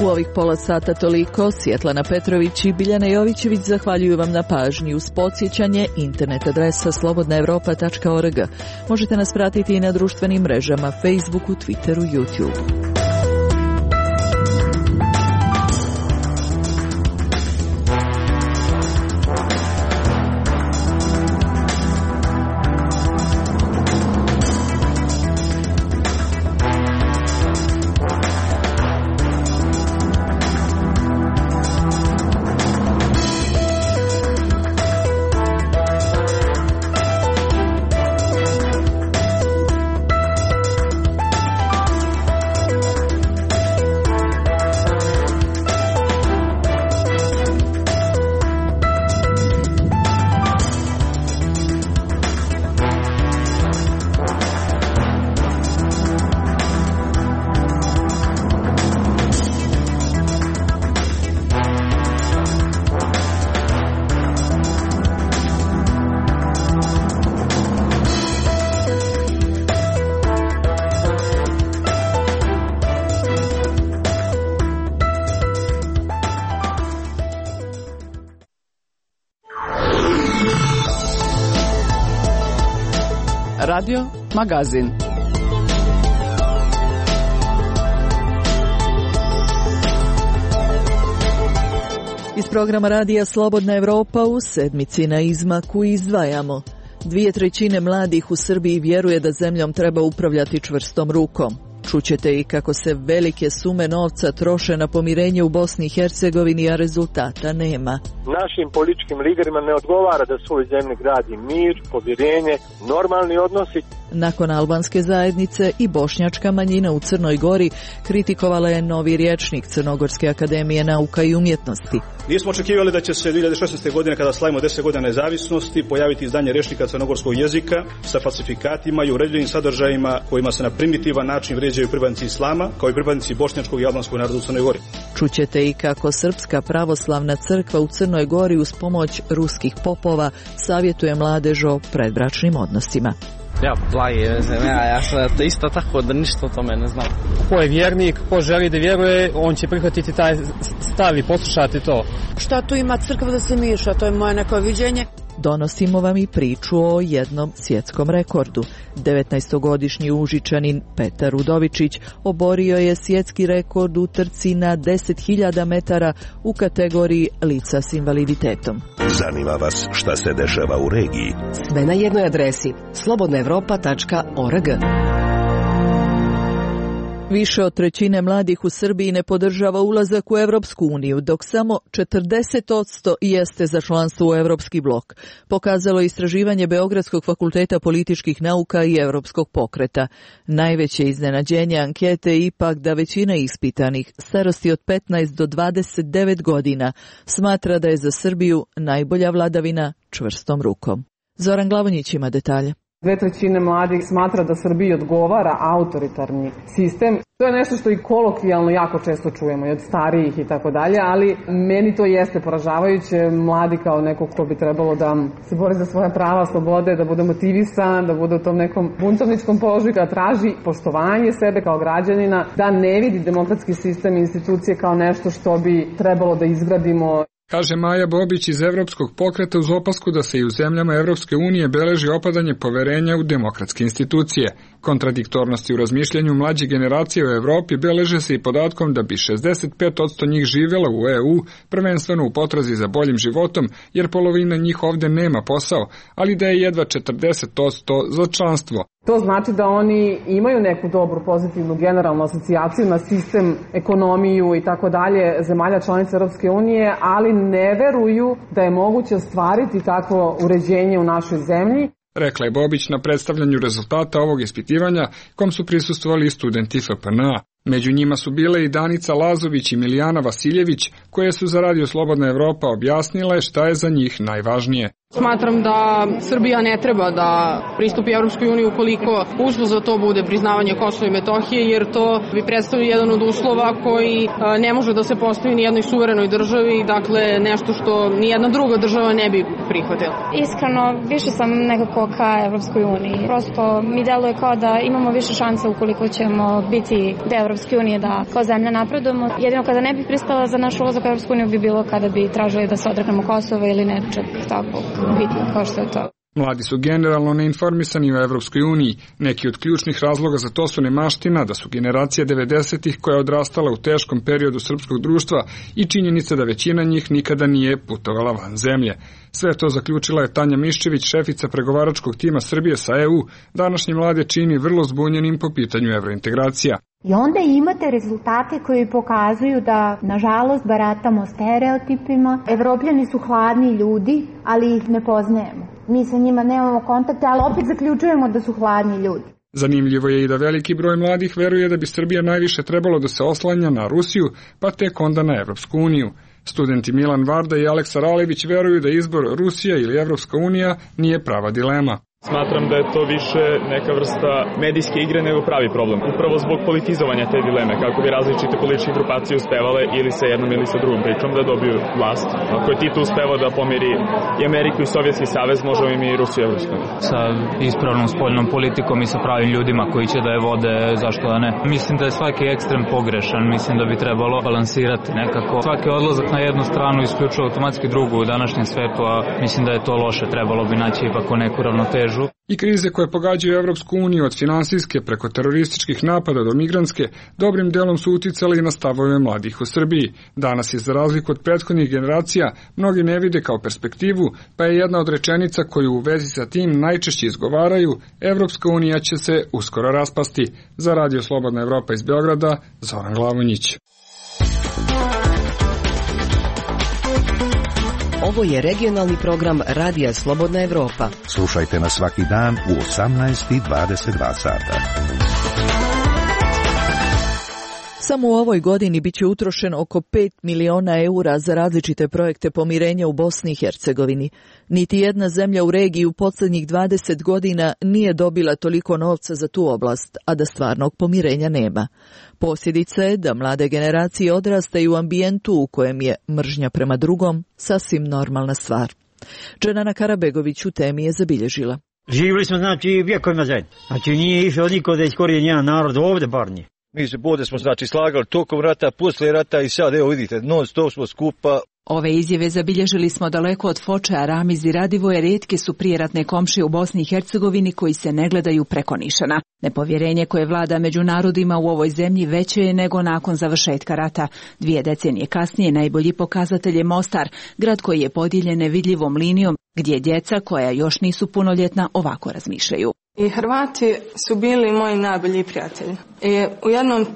U ovih pola sata toliko. Svjetlana Petrović i Biljana Jovićević zahvaljuju vam na pažnji. Uz podsjećanje, internet adresa slobodnaevropa.org. Možete nas pratiti i na društvenim mrežama Facebooku, Twitteru, YouTubeu. Radio Magazin. Iz programa radija Slobodna Evropa u sedmici na izmaku izdvajamo. 2/3 mladih u Srbiji vjeruje da zemljom treba upravljati čvrstom rukom. Čućete i kako se velike sume novca troše na pomirenje u Bosni i Hercegovini, a rezultata nema. Našim političkim liderima ne odgovara da svoj zemlji gradi mir, povjerenje, normalni odnosi. Nakon albanske zajednice i bošnjačka manjina u Crnoj Gori kritikovala je novi rječnik Crnogorske akademije nauka i umjetnosti. Nismo očekivali da će se 2016. godine, kada slavimo 10 godina nezavisnosti, pojaviti izdanje rječnika crnogorskog jezika sa falsifikatima i uredljivim sadržajima kojima se na primitivan način vrijeđaju pripadnici islama, kao i pripadnici bošnjačkog i albanskog naroda u Crnoj Gori. Čućete i kako Srpska pravoslavna crkva u Crnoj Gori uz pomoć ruskih popova savjetuje mladež o predbračnim odnosima. Ja, ja sam isto tako da ništa o tome ne znam. Ko je vjernik, ko želi da vjeruje, on će prihvatiti taj stav i poslušati to. Šta tu ima crkva da se miša, to je moje neko viđenje. Donosimo vam i priču o jednom svjetskom rekordu. 19-godišnji Užičanin Petar Udovičić oborio je svjetski rekord u trci na 10.000 metara u kategoriji lica s invaliditetom. Zanima vas šta se dešava u regiji? Sve na jednoj adresi slobodnaevropa.org. Više od 1/3 mladih u Srbiji ne podržava ulazak u Evropsku uniju, dok samo 40% jeste za članstvo u Evropski blok. Pokazalo je istraživanje Beogradskog fakulteta političkih nauka i Evropskog pokreta. Najveće iznenađenje ankete je ipak da većina ispitanih starosti od 15 do 29 godina smatra da je za Srbiju najbolja vladavina čvrstom rukom. Zoran Glavonjić ima detalje. 2/3 mladih smatra da Srbiji odgovara autoritarni sistem. To je nešto što i kolokvijalno jako često čujemo i od starijih i tako dalje, ali meni to jeste poražavajuće. Mladi kao neko ko bi trebalo da se bori za svoja prava, slobode, da bude motivisan, da bude u tom nekom buntovničkom položaju, da traži poštovanje sebe kao građanina, da ne vidi demokratski sistem i institucije kao nešto što bi trebalo da izgradimo. Kaže Maja Bobić iz Evropskog pokreta uz opasku da se i u zemljama Evropske unije beleži opadanje poverenja u demokratske institucije. Kontradiktornosti u razmišljanju mlađe generacije u Evropi beleže se i podatkom da bi 65% njih živjela u EU, prvenstveno u potrazi za boljim životom, jer polovina njih ovdje nema posao, ali da je jedva 40% za članstvo. To znači da oni imaju neku dobru, pozitivnu, generalnu asocijaciju na sistem, ekonomiju i tako dalje zemalja članica Europske unije, ali ne veruju da je moguće ostvariti takvo uređenje u našoj zemlji. Rekla je Bobić na predstavljanju rezultata ovog ispitivanja, kom su prisustvovali studenti FPN-a. Među njima su bile i Danica Lazović i Milijana Vasiljević, koje su za Radio Slobodna Evropa objasnile šta je za njih najvažnije. Smatram da Srbija ne treba da pristupi Evropskoj uniji ukoliko uslov za to bude priznavanje Kosova i Metohije, jer to bi predstavljao jedan od uslova koji ne može da se postavi ni jednoj suverenoj državi, dakle nešto što ni jedna druga država ne bi prihvatila. Iskreno, više sam nekako ka Evropskoj uniji. Prosto mi deluje kao da imamo više šanse ukoliko ćemo biti deo Evropske unije, da kao zemlja napredujemo. Jedino kada ne bi pristala za naš ulazak u Evropsku uniju bi bilo kada bi tražili da se odreknemo Kosova ili nečeg tako bitno kao što je to. Mladi su generalno neinformisani o Evropskoj uniji. Neki od ključnih razloga za to su nemaština, da su generacija 90-ih koja je odrastala u teškom periodu srpskog društva i činjenica da većina njih nikada nije putovala van zemlje. Sve to zaključila je Tanja Miščević, šefica pregovaračkog tima Srbije sa EU. Današnji mlade čini vrlo zbunjenim po pitanju evrointegracija. I onda imate rezultate koji pokazuju da, nažalost, baratamo stereotipima. Evropljani su hladni ljudi, ali ih ne poznajemo. Mi sa njima nemamo kontakte, ali opet zaključujemo da su hladni ljudi. Zanimljivo je i da veliki broj mladih veruje da bi Srbija najviše trebalo da se oslanja na Rusiju, pa tek onda na Evropsku uniju. Studenti Milan Varda i Aleksa Ralević veruju da izbor Rusija ili Evropska unija nije prava dilema. Smatram da je to više neka vrsta medijske igre nego pravi problem. Upravo zbog politizovanja te dileme, kako bi različite političke grupacije uspevale ili sa jednom ili sa drugom pričom da dobiju vlast. Ako je Tito uspevao da pomiri i Ameriku i Sovjetski savez, možemo i mi i Rusiju Evropsku. Sa ispravnom spoljnom politikom i sa pravim ljudima koji će da je vode, zašto da ne. Mislim da je svaki ekstrem pogrešan, mislim da bi trebalo balansirati nekako. Svaki odlazak na jednu stranu isključuje automatski drugu u današnjem svetu, a mislim da je to loše, trebalo bi naći ipak neku ravnotežu. pomažu. I krize koje pogađaju Evropsku uniju od finansijske preko terorističkih napada do migrantske dobrim delom su uticali na stavove mladih u Srbiji. Danas je za razliku od prethodnih generacija mnogi ne vide kao perspektivu, pa je jedna od rečenica koju u vezi sa tim najčešće izgovaraju: Evropska unija će se uskoro raspasti. Za Radio Slobodna Evropa iz Beograda, Zoran Glavonjić. Ovo je regionalni program Radija Slobodna Evropa. Slušajte nas svaki dan u 18:22 sata. Samo u ovoj godini biće utrošeno oko 5 miliona eura za različite projekte pomirenja u Bosni i Hercegovini. Niti jedna zemlja u regiji u posljednjih 20 godina nije dobila toliko novca za tu oblast, a da stvarnog pomirenja nema. Posljedica je da mlade generacije odrastaju u ambijentu u kojem je mržnja prema drugom sasvim normalna stvar. Dženana Karabegović u temi je zabilježila. Živjeli smo vjekovima zajedno. Nije išao niko da iskorijeni jedan narod ovdje bar nije. Mi se bode smo slagali tokom rata, poslije rata i sad evo vidite, non stop smo skupa. Ove izjave zabilježili smo daleko od Foča, Ramiz i Radivoje, rijetke su prijeratne komšije u Bosni i Hercegovini koji se ne gledaju preko nišana. Nepovjerenje koje vlada među narodima u ovoj zemlji veće je nego nakon završetka rata. 2 decenije kasnije najbolji pokazatelj je Mostar, grad koji je podijeljen nevidljivom linijom, gdje djeca koja još nisu punoljetna ovako razmišljaju. I Hrvati su bili moji najbolji prijatelji. I u jednom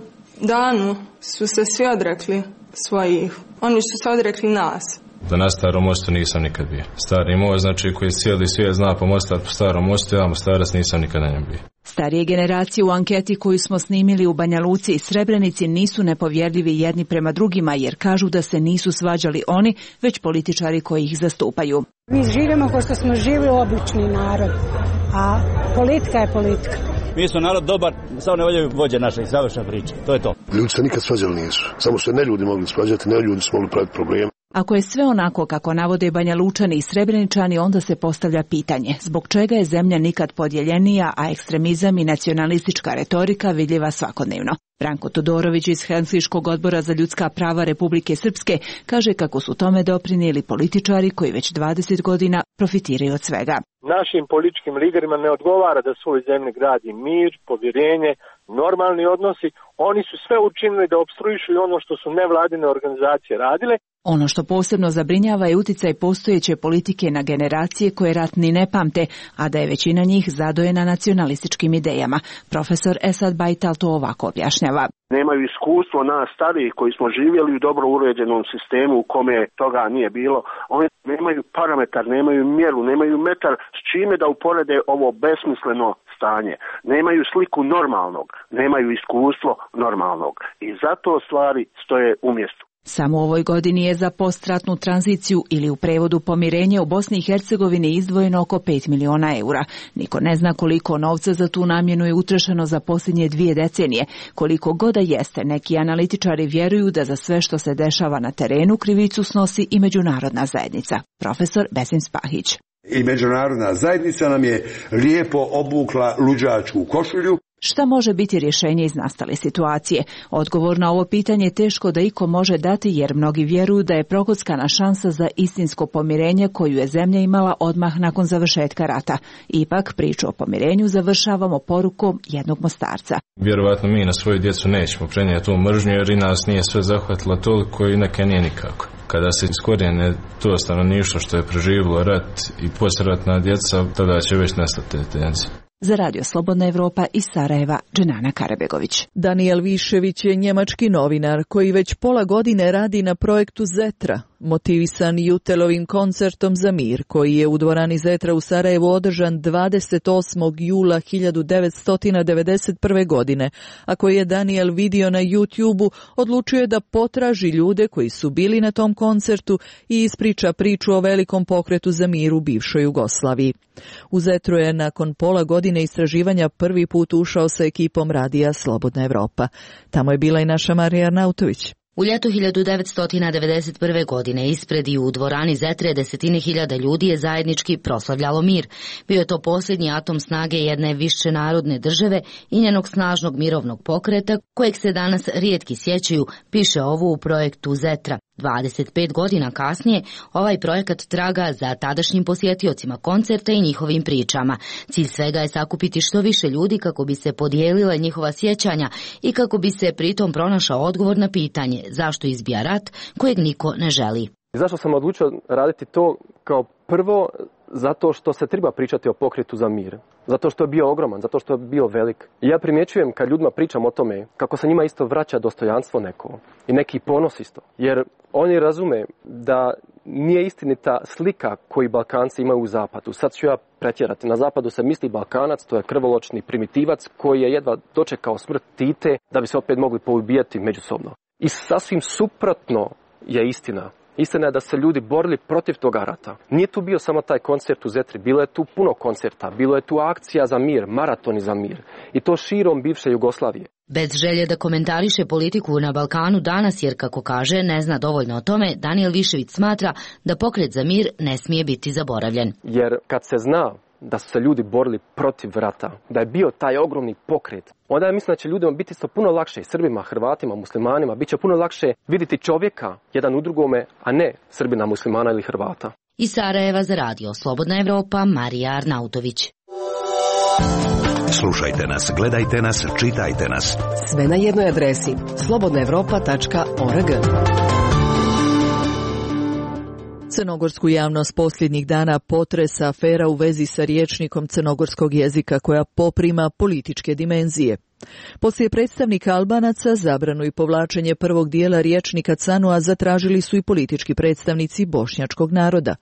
danu su se svi odrekli svojih. Oni su se odrekli nas. Da na Starom mostu nisam nikad bio. Stari most, znači koji cijeli svijet zna pomostati po Starom mostu, ja Mostarac nisam nikad na njem bio. Starije generacije u anketi koju smo snimili u Banja Luci i Srebrenici nisu nepovjerljivi jedni prema drugima jer kažu da se nisu svađali oni, već političari koji ih zastupaju. Mi živimo kao što smo živjeli obični narod, a politika je politika. Mi smo narod dobar, samo ne voljaju vođe naše, završna priča, to je to. Ljudi se nikad svađali nisu, samo se ne ljudi mogli svađati, ne ljudi su mogli praviti probleme. Ako je sve onako kako navode Banja Lučani i Srebreničani, onda se postavlja pitanje zbog čega je zemlja nikad podijeljenija, a ekstremizam i nacionalistička retorika vidljiva svakodnevno. Branko Todorović iz Helsinškog odbora za ljudska prava Republike Srpske kaže kako su tome doprinijeli političari koji već 20 godina profitiraju od svega. Našim političkim liderima ne odgovara da svoj zemlji gradi mir, povjerenje, normalni odnosi. Oni su sve učinili da opstruišu ono što su nevladine organizacije radile. Ono što posebno zabrinjava je utjecaj postojeće politike na generacije koje rat ni ne pamte, a da je većina njih zadojena nacionalističkim idejama. Profesor Esad Bajtal to ovako objašnjava. Nemaju iskustvo nas starijih koji smo živjeli u dobro uređenom sistemu u kome toga nije bilo. Oni nemaju parametar, nemaju mjeru, nemaju metar s čime da uporede ovo besmisleno stanje. Nemaju sliku normalnog, nemaju iskustvo normalnog i zato stvari stoje u mjestu. Samo u ovoj godini je za postratnu tranziciju ili u prevodu pomirenje u Bosni i Hercegovini izdvojeno oko 5 miliona eura. Niko ne zna koliko novca za tu namjenu je utrošeno za posljednje 2 decenije. Koliko god da jeste, neki analitičari vjeruju da za sve što se dešava na terenu krivicu snosi i međunarodna zajednica. Profesor Besim Spahić. I međunarodna zajednica nam je lijepo obukla luđačku košulju. Šta može biti rješenje iz nastale situacije? Odgovor na ovo pitanje teško da iko može dati jer mnogi vjeruju da je prokockana šansa za istinsko pomirenje koju je zemlja imala odmah nakon završetka rata. Ipak priču o pomirenju završavamo porukom jednog Mostarca. Vjerovatno mi na svoju djecu nećemo prenijeti tu mržnju jer i nas nije sve zahvatilo toliko i neke nije nikako. Kada se iskorijene to stanovništvo što je preživjelo rat i poslijeratna djeca, tada će već nestati te tendencije. Za Radio Slobodna Evropa iz Sarajeva, Dženana Karabegović. Daniel Višević je njemački novinar koji već pola godine radi na projektu Zetra, motivisan Jutelovim koncertom za mir, koji je u dvorani Zetra u Sarajevu održan 28. jula 1991. godine, a koji je Daniel vidio na YouTube-u, odlučio je da potraži ljude koji su bili na tom koncertu i ispriča priču o velikom pokretu za mir u bivšoj Jugoslaviji. U Zetru je nakon pola godine istraživanja prvi put ušao sa ekipom radija Slobodna Evropa. Tamo je bila i naša Marija Arnautović. U ljetu 1991. godine ispred i u dvorani Zetre desetine hiljada ljudi je zajednički proslavljalo mir. Bio je to posljednji atom snage jedne višenarodne države i njenog snažnog mirovnog pokreta, kojeg se danas rijetki sjećaju, piše ovo u projektu Zetra. 25 godina kasnije, ovaj projekat traga za tadašnjim posjetiocima koncerta i njihovim pričama. Cilj svega je sakupiti što više ljudi kako bi se podijelile njihova sjećanja i kako bi se pritom pronašao odgovor na pitanje zašto izbija rat kojeg niko ne želi. Zašto sam odlučio raditi to? Kao prvo, zato što se treba pričati o pokretu za mir. Zato što je bio ogroman, zato što je bio velik. I ja primjećujem kad ljudima pričam o tome kako se njima isto vraća dostojanstvo neko i neki ponos isto. Jer oni razume da nije istinita slika koju Balkanci imaju u zapadu. Sad ću ja pretjerati. Na zapadu se misli Balkanac, to je krvoločni primitivac koji je jedva dočekao smrt Tite da bi se opet mogli poubijati međusobno. I sasvim suprotno je istina. Istina je da se ljudi borili protiv toga rata. Nije tu bio samo taj koncert u Zetri, bilo je tu puno koncerta, bilo je tu akcija za mir, maratoni za mir. I to širom bivše Jugoslavije. Bez želje da komentariše politiku na Balkanu danas, jer kako kaže, ne zna dovoljno o tome, Danijel Višević smatra da pokret za mir ne smije biti zaboravljen. Jer kad se zna da su se ljudi borili protiv rata, da je bio taj ogromni pokret, onda ja mislim da će ljudima biti isto puno lakše, Srbima, Hrvatima, muslimanima, bit će puno lakše vidjeti čovjeka jedan u drugome, a ne Srbina, muslimana ili Hrvata. Iz Sarajeva za radio Slobodna Evropa, Marija Arnautović. Slušajte nas, gledajte nas, čitajte nas. Sve na jednoj adresi slobodnaevropa.org. Crnogorsku javnost posljednjih dana potresa afera u vezi sa rječnikom crnogorskog jezika koja poprima političke dimenzije. Poslije predstavnika Albanaca zabranu i povlačenje prvog dijela rječnika Canua zatražili su i politički predstavnici bošnjačkog naroda.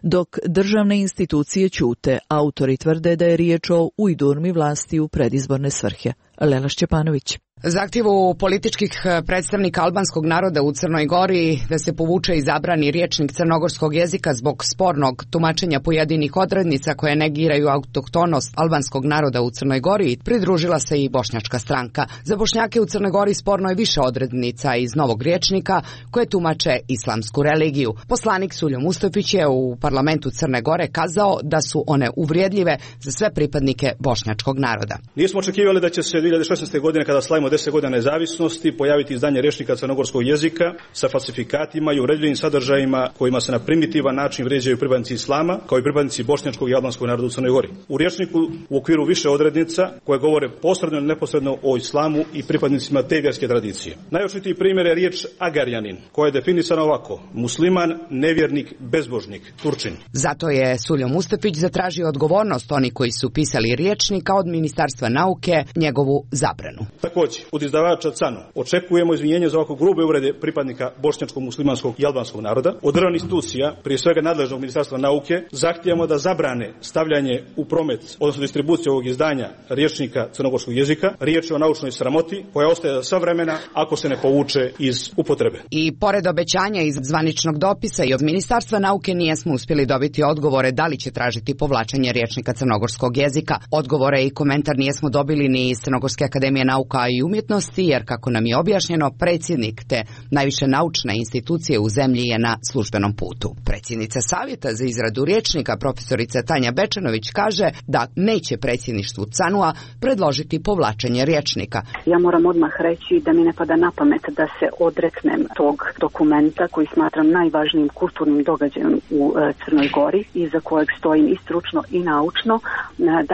Dok državne institucije ćute, autori tvrde da je riječ o ujdurmi vlasti u predizborne svrhe. Lela Šćepanović. Zahtjevu političkih predstavnika albanskog naroda u Crnoj Gori da se povuče i zabrani rječnik crnogorskog jezika zbog spornog tumačenja pojedinih odrednica koje negiraju autohtonost albanskog naroda u Crnoj Gori, pridružila se i bošnjačka stranka. Za Bošnjake u Crnoj Gori sporno je više odrednica iz novog rječnika koje tumače islamsku religiju. Poslanik Suljo Mustafić je u parlamentu Crne Gore kazao da su one uvrijedljive za sve pripadnike bošnjačkog naroda. Nismo očekivali da će se 2016. godine, kada slavimo 10 godina nezavisnosti, pojaviti izdanje rječnika crnogorskog jezika sa falsifikatima i uvredljivim sadržajima kojima se na primitivan način vrijeđaju pripadnici islama, kao i pripadnici bošnjačkog i albanskog naroda u Crnoj Gori. U rječniku u okviru više odrednica koje govore posredno ili neposredno o islamu i pripadnicima te vjerske tradicije. Najočitiji primjer je riječ agarjanin, koja je definisana ovako: musliman, nevjernik, bezbožnik, Turčin. Zato je Suljo Mustafić zatražio odgovornost oni koji su pisali rječnika od Ministarstva nauke, njegovu zabranu. Također, od izdavača CANU očekujemo izvinjenje za ovako grube uvrede pripadnika bošnjačkog, muslimanskog i albanskog naroda. Od državnih institucija, prije svega nadležnog Ministarstva nauke, zahtijemo da zabrane stavljanje u promet, odnosno distribuciju ovog izdanja rječnika crnogorskog jezika. Riječ je o naučnoj sramoti koja ostaje za sva vremena ako se ne povuče iz upotrebe. I pored obećanja iz zvaničnog dopisa i od Ministarstva nauke nijesmo uspjeli dobiti odgovore da li će tražiti povlačenje rječnika crnogorskog jezika. Odgovore i komentar nijesmo dobili ni iz Crnogorske akademije nauka i umjetnosti, jer kako nam je objašnjeno, predsjednik te najviše naučne institucije u zemlji je na službenom putu. Predsjednica Savjeta za izradu rječnika, profesorica Tanja Bečanović, kaže da neće predsjedništvu CANU-a predložiti povlačenje rječnika. Ja moram odmah reći da mi ne pada na pamet da se odreknem tog dokumenta koji smatram najvažnijim kulturnim događajem u Crnoj Gori i za kojeg stojim i stručno i naučno.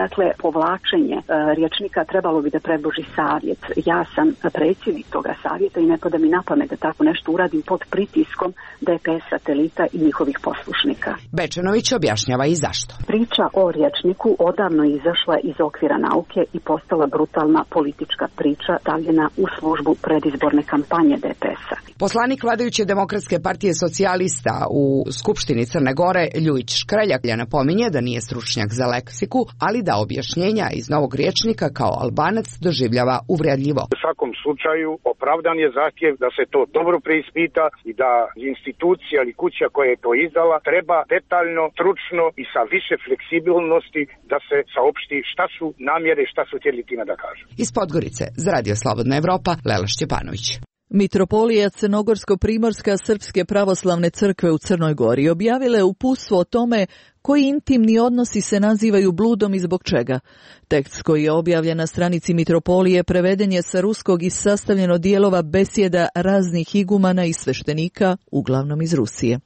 Dakle, povlačenje rječnika trebalo bi da predloži savjet. Ja sam predsjednik toga savjeta i ne pada mi na pamet da tako nešto uradim pod pritiskom DPS satelita i njihovih poslušnika. Bečanović objašnjava i zašto. Priča o rječniku odavno je izašla iz okvira nauke i postala brutalna politička priča stavljena u službu predizborne kampanje DPS-a. Poslanik vladajuće Demokratske partije socijalista u Skupštini Crne Gore, Ljujić Škreljak, napominje da nije stručnjak za leksiku, ali da objašnjenja iz novog rječnika kao Albanac doživljava uvredljivo. U svakom slučaju opravdan je zahtjev da se to dobro preispita i da institucija ili kuća koja je to izdala treba detaljno, stručno i sa više fleksibilnosti da se saopšti šta su namjere, šta su htjeli time da kažu. Iz Podgorice za Radio Slobodna Evropa, Lela Šćepanović. Mitropolija Crnogorsko-Primorska Srpske pravoslavne crkve u Crnoj Gori objavila je uputstvo o tome Koji intimni odnosi se nazivaju bludom i zbog čega? Tekst koji je objavljen na stranici Mitropolije preveden je sa ruskog i sastavljen od dijelova besjeda raznih igumana i sveštenika, uglavnom iz Rusije.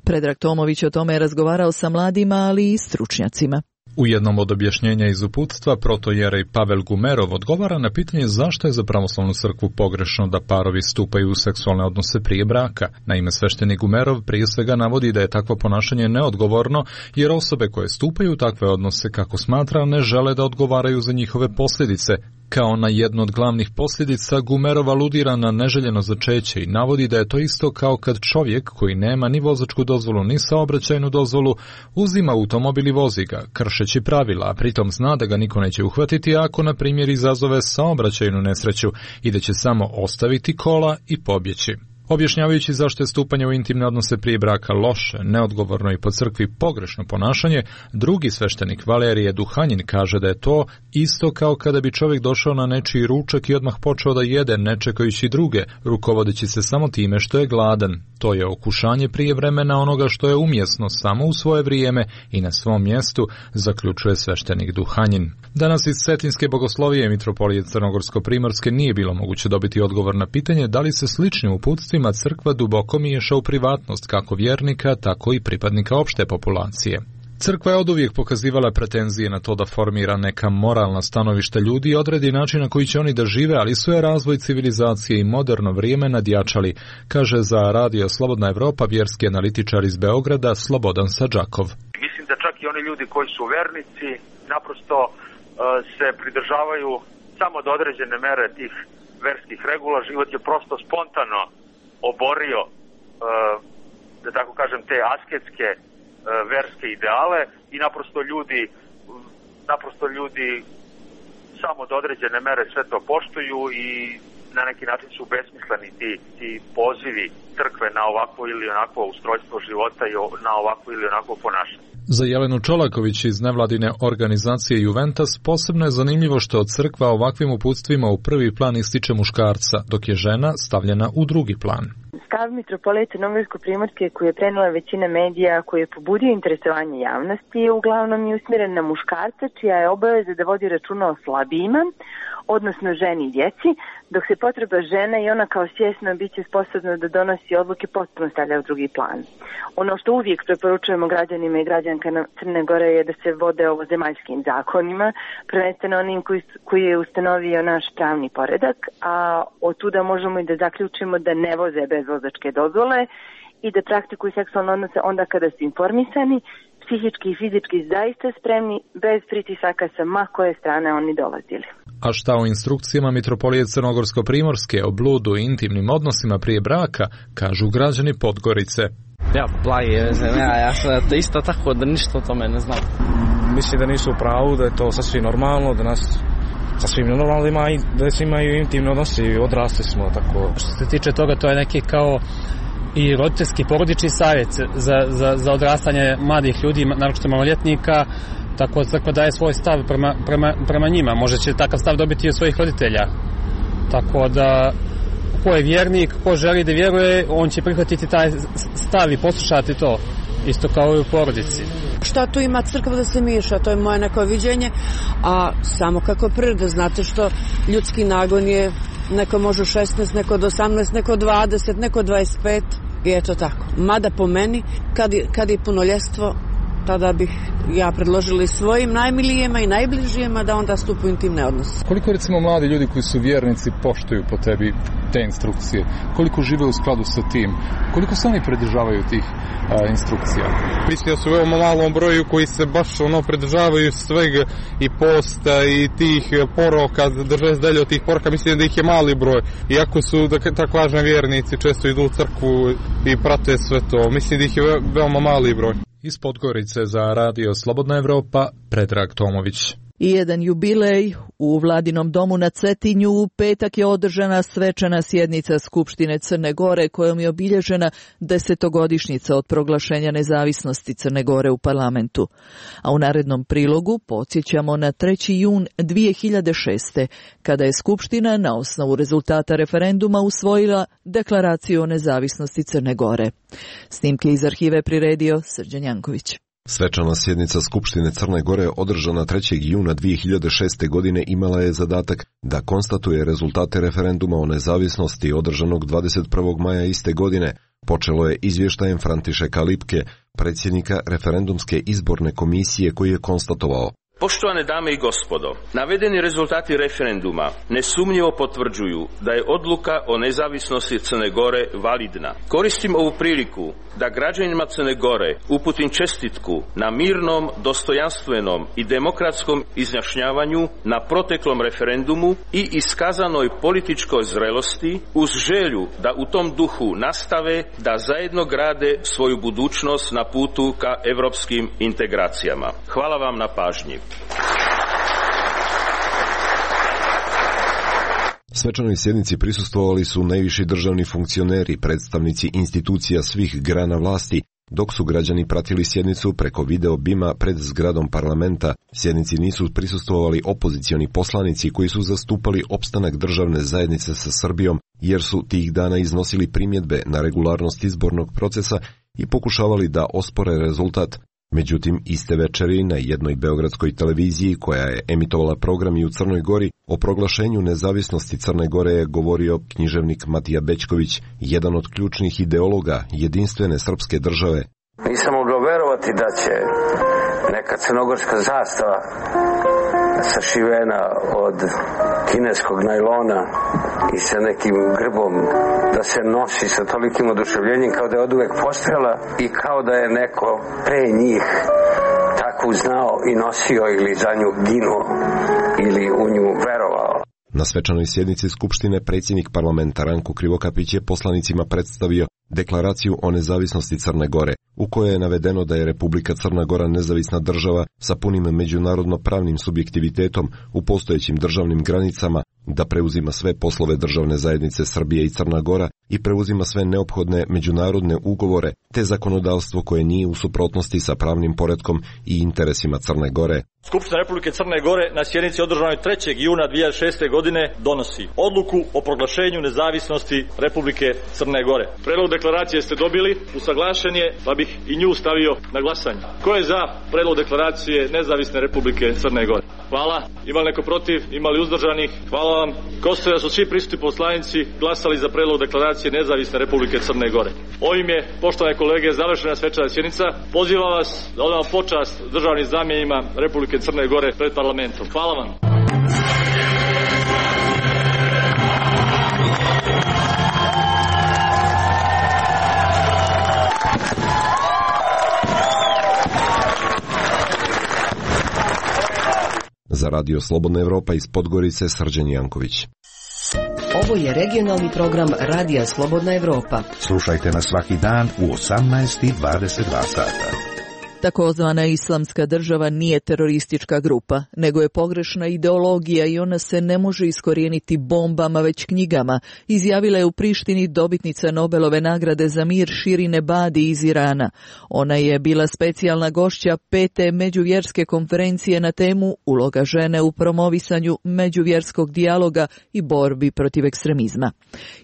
Predrag Tomović o tome je razgovarao sa mladima, ali i stručnjacima. U jednom od objašnjenja iz uputstva protojerej Pavel Gumerov odgovara na pitanje zašto je za pravoslavnu crkvu pogrešno da parovi stupaju u seksualne odnose prije braka. Naime, sveštenik Gumerov prije svega navodi da je takvo ponašanje neodgovorno, jer osobe koje stupaju u takve odnose, kako smatra, ne žele da odgovaraju za njihove posljedice. Kao na jednu od glavnih posljedica, Gumerov aludira na neželjeno začeće i navodi da je to isto kao kad čovjek koji nema ni vozačku dozvolu ni saobraćajnu dozvolu uzima automobil i vozi ga, kršeći pravila, a pritom zna da ga niko neće uhvatiti ako, na primjer, izazove saobraćajnu nesreću i da će samo ostaviti kola i pobjeći. Objašnjavajući zašto je stupanje u intimne odnose prije braka loše, neodgovorno i po crkvi pogrešno ponašanje, drugi sveštenik Valerije Duhanjin kaže da je to isto kao kada bi čovjek došao na nečiji ručak i odmah počeo da jede, ne čekajući druge, rukovodeći se samo time što je gladan. To je okušanje prije vremena onoga što je umjesno samo u svoje vrijeme i na svom mjestu, zaključuje sveštenik Duhanjin. Danas iz Cetinske bogoslovije Mitropolije Crnogorsko-primorske nije bilo moguće dobiti odgovor na pitanje da li se sličnim uputstvima crkva duboko miješa u privatnost kako vjernika, tako i pripadnika opšte populacije. Crkva je oduvijek pokazivala pretenzije na to da formira neka moralna stanovišta ljudi i odredi način na koji će oni da žive, ali su je razvoj civilizacije i moderno vrijeme nadjačali, kaže za Radio Slobodna Evropa vjerski analitičar iz Beograda Slobodan Sadžakov. Mislim da čak i oni ljudi koji su vernici naprosto se pridržavaju samo do određene mere tih verskih regula. Život je prosto spontano oborio, da tako kažem, te asketske verske ideale i naprosto ljudi samo do određene mere sve to poštuju i na neki način su besmisleni ti pozivi crkve na ovakvo ili onakvo ustrojstvo života i na ovakvo ili onakvo ponašanje. Za Jelenu Čolaković iz nevladine organizacije Juventus posebno je zanimljivo što od crkva ovakvim uputstvima u prvi plan ističe muškarca, dok je žena stavljena u drugi plan. Stav Mitropolije Crnogorsko-primorske koji je prenijela većina medija, koji je pobudio interesovanje javnosti, je uglavnom i usmjeren na muškarca, čija je obaveza da vodi računa o slabijima, odnosno ženi i djeci, dok se potreba žene i ona kao svjesno biće sposobna da donosi odluke potpuno stavlja u drugi plan. Ono što uvijek preporučujemo građanima i građankama Crne Gore je da se vode ovozemaljskim zakonima, prvenstveno onim koji je ustanovio naš pravni poredak, a od tuda možemo i da zaključimo da ne voze bez vozačke dozvole i da praktikuju seksualne odnose onda kada su informisani, psihički i fizički zaista spremni, bez pritisaka sa ma koje strane oni dolazili. A šta o instrukcijama Mitropolije Crnogorsko-primorske o bludu i intimnim odnosima prije braka, kažu građani Podgorice. Ja, blage, ja sam isto tako da ništa o tome ne znam. Mislim da nisu u pravu, da je to sasvim normalno, da nas sasvim normalno da se imaju intimni odnosi i odrasli smo tako. Što se tiče toga, to je neki kao i roditeljski porodični savjet za odrastanje mladih ljudi, naročito maloljetnika, tako crkva daje svoj stav prema njima. Može će takav stav dobiti i od svojih roditelja. Tako da ko je vjernik, ko želi da vjeruje, on će prihvatiti taj stav i poslušati to, isto kao i u porodici. Šta tu ima crkva da se miješa, to je moje neko viđenje, a samo kako priroda, znate što ljudski nagon je, neko može 16, neko od 18, neko 20, neko 25 i eto tako. Mada po meni, kad je punoljetstvo, tada bih ja predložila svojim najmilijima i najbližijima da onda stupu u intimne odnose. Koliko recimo mladi ljudi koji su vjernici poštuju po tebi te instrukcije? Koliko žive u skladu sa tim? Koliko se oni pridržavaju tih instrukcija? Mislim da su veoma malom broju koji se baš pridržavaju svega i posta i tih poroka, drže se dalje od tih poroka, mislim da ih je mali broj. Iako su, da tako kažem, vjernici, često idu u crkvu i prate sve to. Mislim da ih je veoma mali broj. Iz Podgorice za Radio Slobodna Evropa, Predrag Tomović. I jedan jubilej u Vladinom domu na Cetinju u petak je održana svečana sjednica Skupštine Crne Gore kojom je obilježena 10-godišnjica od proglašenja nezavisnosti Crne Gore u parlamentu. A u narednom prilogu podsjećamo na 3. jun 2006. kada je Skupština na osnovu rezultata referenduma usvojila deklaraciju o nezavisnosti Crne Gore. Snimke iz arhive priredio Srđan Janković. Svečana sjednica Skupštine Crne Gore održana 3. juna 2006. godine imala je zadatak da konstatuje rezultate referenduma o nezavisnosti održanog 21. maja iste godine. Počelo je izvještajem Františeka Lipke, predsjednika referendumske izborne komisije, koji je konstatovao: Poštovane dame i gospodo, navedeni rezultati referenduma nesumnjivo potvrđuju da je odluka o nezavisnosti Crne Gore validna. Koristim ovu priliku da građanima Crne Gore uputim čestitku na mirnom, dostojanstvenom i demokratskom izjašnjavanju na proteklom referendumu i iskazanoj političkoj zrelosti, uz želju da u tom duhu nastave da zajedno grade svoju budućnost na putu ka evropskim integracijama. Hvala vam na pažnji. Svečanoj sjednici prisustvovali su najviši državni funkcioneri, predstavnici institucija svih grana vlasti, dok su građani pratili sjednicu preko video bima pred zgradom parlamenta. Sjednici nisu prisustvovali opozicioni poslanici koji su zastupali opstanak državne zajednice sa Srbijom, jer su tih dana iznosili primjedbe na regularnost izbornog procesa i pokušavali da ospore rezultat. Međutim, iste večeri na jednoj beogradskoj televiziji koja je emitovala program i u Crnoj Gori, o proglašenju nezavisnosti Crne Gore je govorio književnik Matija Bećković, jedan od ključnih ideologa jedinstvene srpske države. Nisam mogao verovati da će neka crnogorska zastava sašivena od kineskog najlona i sa nekim grbom da se nosi sa tolikim oduševljenjem kao da je oduvek postojala i kao da je neko pre njih takvu znao i nosio ili za nju ginuo ili u nju verovao. Na svečanoj sjednici Skupštine predsjednik parlamenta Ranko Krivokapić je poslanicima predstavio deklaraciju o nezavisnosti Crne Gore, u kojoj je navedeno da je Republika Crna Gora nezavisna država sa punim međunarodno pravnim subjektivitetom u postojećim državnim granicama, da preuzima sve poslove državne zajednice Srbije i Crna Gora i preuzima sve neophodne međunarodne ugovore te zakonodavstvo koje nije u suprotnosti sa pravnim poretkom i interesima Crne Gore. Skupština Republike Crne Gore na sjednici održanoj 3. juna 2006. godine donosi odluku o proglašenju nezavisnosti Republike Crne Gore. Predlog deklaracije ste dobili, usaglašen je, pa bih i nju stavio na glasanje. Ko je za predlog deklaracije Nezavisne Republike Crne Gore? Hvala. Ima li neko protiv? Ima li uzdržanih? Hvala vam. Konstatujem da su svi prisutni poslanici glasali za predlog deklaracije Nezavisne Republike Crne Gore. Ovim je, poštovane kolege, završena svečana sjednica. Pozivam vas da odamo počast državnim znamenjima Republike Crne Gore pred parlamentom. Hvala vam. Za Radio Slobodna Evropa iz Podgorice, Srđan Janković. Ovo je regionalni program Radija Slobodna Evropa. Slušajte nas svaki dan u 18:22 sata. Takozvana Islamska država nije teroristička grupa, nego je pogrešna ideologija i ona se ne može iskorijeniti bombama, već knjigama, izjavila je u Prištini dobitnica Nobelove nagrade za mir Shirin Ebadi iz Irana. Ona je bila specijalna gošća 5. međuvjerske konferencije na temu uloga žene u promovisanju međuvjerskog dijaloga i borbi protiv ekstremizma.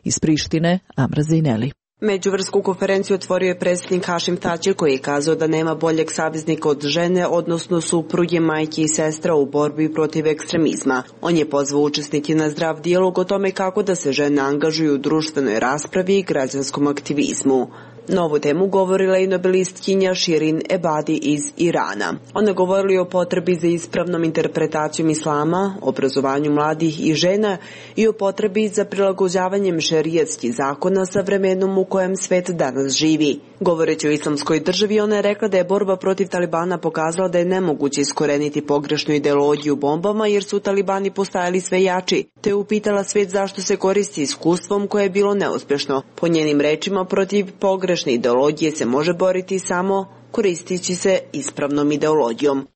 Iz Prištine, Amra Zineli. Međuvjersku konferenciju otvorio je predsjednik Hašim Tači, koji je kazao da nema boljeg saveznika od žene, odnosno supruge, majke i sestra u borbi protiv ekstremizma. On je pozvao učesnike na zdrav dijalog o tome kako da se žene angažuju u društvenoj raspravi i građanskom aktivizmu. Na ovu temu govorila i nobelistkinja Shirin Ebadi iz Irana. Ona govorila o potrebi za ispravnom interpretacijom islama, obrazovanju mladih i žena i o potrebi za prilagođavanjem šerijatskih zakona sa vremenom u kojem svet danas živi. Govoreći o islamskoj državi, ona je rekla da je borba protiv Talibana pokazala da je nemoguće iskoreniti pogrešnu ideologiju bombama jer su Talibani postajali sve jači, te je upitala svet zašto se koristi iskustvom koje je bilo neuspješno. Po njenim rečima, protiv pogrešne ideologije se može boriti samo koristeći se ispravnom ideologijom.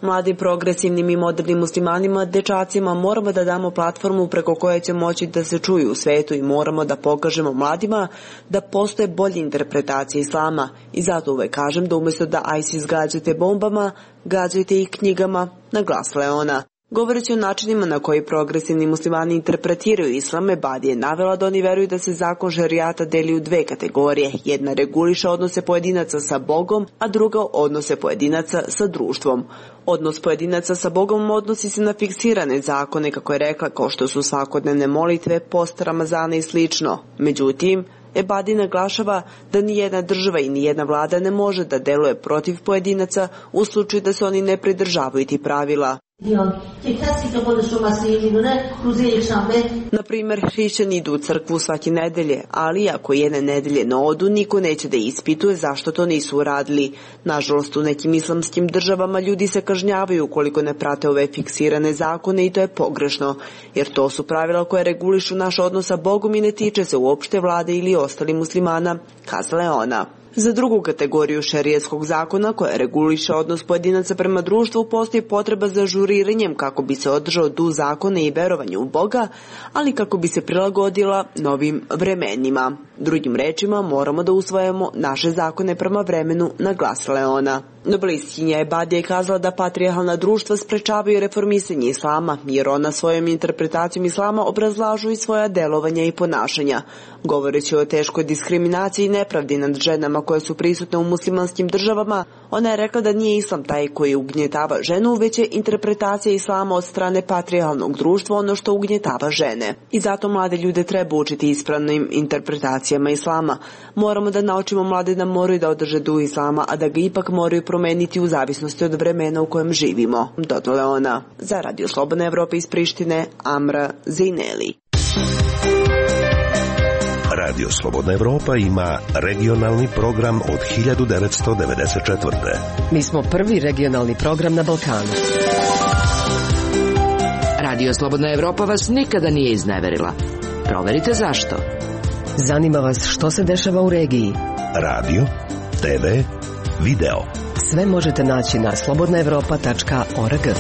Mladim, progresivnim i modernim muslimanima, dečacima, moramo da damo platformu preko koje će moći da se čuju u svetu i moramo da pokažemo mladima da postoje bolje interpretacije islama. I zato uvek kažem da umjesto da ISIS gađate bombama, gađajte ih knjigama, naglasila je ona. Govoreći o načinima na koji progresivni muslimani interpretiraju islam, Ebadi je navela da oni veruju da se zakon šerijata deli u dve kategorije. Jedna reguliše odnose pojedinaca sa Bogom, a druga odnose pojedinaca sa društvom. Odnos pojedinaca sa Bogom odnosi se na fiksirane zakone, kako je rekla, kao što su svakodnevne molitve, post Ramazana i slično. Međutim, Ebadi naglašava da nijedna država i nijedna vlada ne može da deluje protiv pojedinaca u slučaju da se oni ne pridržavaju tih pravila. Na primjer, hrišćani idu u crkvu svake nedelje, ali ako jedne nedelje ne odu, niko neće da ispituje zašto to nisu uradili. Nažalost, u nekim islamskim državama ljudi se kažnjavaju ukoliko ne prate ove fiksirane zakone i to je pogrešno, jer to su pravila koje regulišu naš odnos sa Bogom i ne tiče se uopšte vlade ili ostalih muslimana, kazala je ona. Za drugu kategoriju šerijatskog zakona, koja reguliše odnos pojedinaca prema društvu, postoji potreba za ažuriranjem kako bi se održao duh zakona i verovanje u Boga, ali kako bi se prilagodila novim vremenima. Drugim rečima, moramo da usvojimo naše zakone prema vremenu, naglasila je ona. Nobelistkinja Ebadi je kazala da patrijarhalna društva sprečavaju reformisanje islama, jer ona svojom interpretacijom islama obrazlažu i svoja delovanja i ponašanja. Govoreći o teškoj diskriminaciji i nepravdi nad ženama koje su prisutne u muslimanskim državama, ona je rekla da nije islam taj koji ugnjetava ženu, već je interpretacija islama od strane patrijarhalnog društva ono što ugnjetava žene. I zato mlade ljude treba učiti ispravnim interpretacijama islama. Moramo da naučimo mlade da moraju da održe duh islama, a da ga ipak moraju promeniti u zavisnosti od vremena u kojem živimo, dodala je ona. Za Radio Slobodna Evropa iz Prištine, Amra Zineli. Radio Slobodna Evropa ima regionalni program od 1994. Mi smo prvi regionalni program na Balkanu. Radio Slobodna Evropa vas nikada nije izneverila. Proverite zašto. Zanima vas što se dešava u regiji. Radio, TV, video. Sve možete naći na slobodnaevropa.org.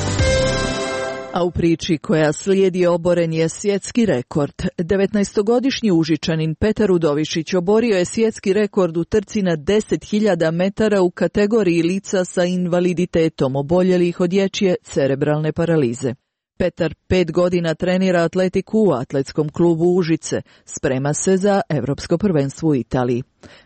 A u priči koja slijedi oboren je svjetski rekord. 19-godišnji Užičanin Petar Udovišić oborio je svjetski rekord u trci na 10.000 metara u kategoriji lica sa invaliditetom oboljelih od dječje cerebralne paralize. Petar 5 godina trenira atletiku u atletskom klubu Užice. Sprema se za Evropsko prvenstvo u Italiji.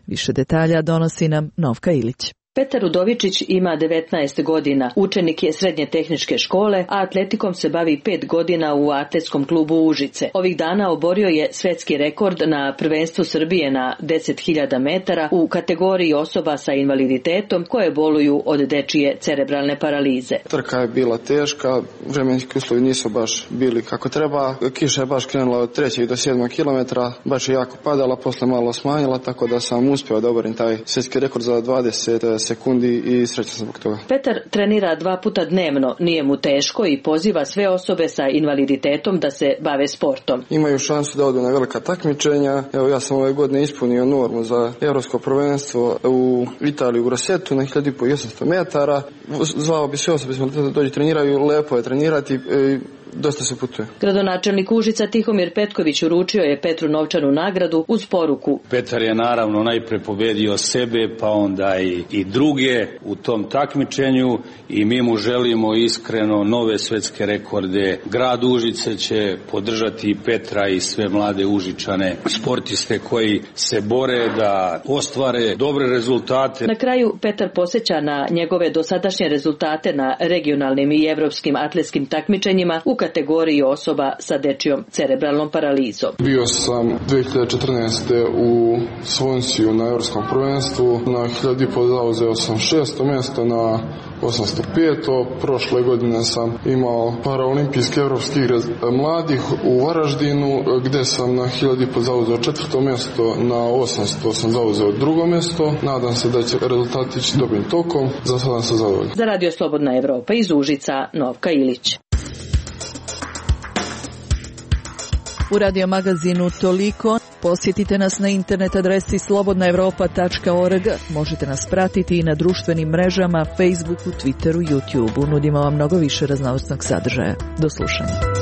Više detalja donosi nam Novka Ilić. Petar Udovičić ima 19 godina, učenik je srednje tehničke škole, a atletikom se bavi 5 godina u atletskom klubu Užice. Ovih dana oborio je svjetski rekord na prvenstvu Srbije na 10.000 metara u kategoriji osoba sa invaliditetom koje boluju od dečije cerebralne paralize. Trka je bila teška, vremenski uslovi nisu baš bili kako treba. Kiša je baš krenula od 3. do 7. kilometra, baš je jako padala, posle malo smanjila, tako da sam uspio da oborim taj svjetski rekord za 20 sekundi i srećan sam zbog toga. Petar trenira 2 puta dnevno, nije mu teško i poziva sve osobe sa invaliditetom da se bave sportom. Imaju šansu da odu na velika takmičenja. Evo, ja sam ove godine ispunio normu za Evropsko prvenstvo u Italiji u Grossetu na 1500 metara. Zvao bi sve osobe da dođu treniraju, lepo je trenirati. Dosta se putuje. Gradonačelnik Užica Tihomir Petković uručio je Petru novčanu nagradu uz poruku. Petar je naravno najpre pobedio sebe, pa onda i druge u tom takmičenju i mi mu želimo iskreno nove svetske rekorde. Grad Užice će podržati Petra i sve mlade Užičane, sportiste koji se bore da ostvare dobre rezultate. Na kraju Petar podsjeća na njegove dosadašnje rezultate na regionalnim i evropskim atletskim takmičenjima u kategoriji osoba sa dečijom cerebralnom paralizom. Bio sam 2014. u Svonsiju na Evropskom prvenstvu. Na 1500 zauzeo sam 6. mjesto, na 805. Prošle godine sam imao paraolimpijske evropske igre mladih u Varaždinu, gdje sam na 1500 zauzeo 4. mjesto, na 800 sam zauzeo 2. mjesto. Nadam se da će rezultati ići dobrim tokom. Za sada sam zadovoljan. Za Radio Slobodna Evropa iz Užica, Novka Ilić. U radio magazinu toliko. Posjetite nas na internet adresi slobodnaevropa.org. Možete nas pratiti i na društvenim mrežama, Facebooku, Twitteru, YouTubeu. Nudimo vam mnogo više raznovrsnog sadržaja. Do slušanja.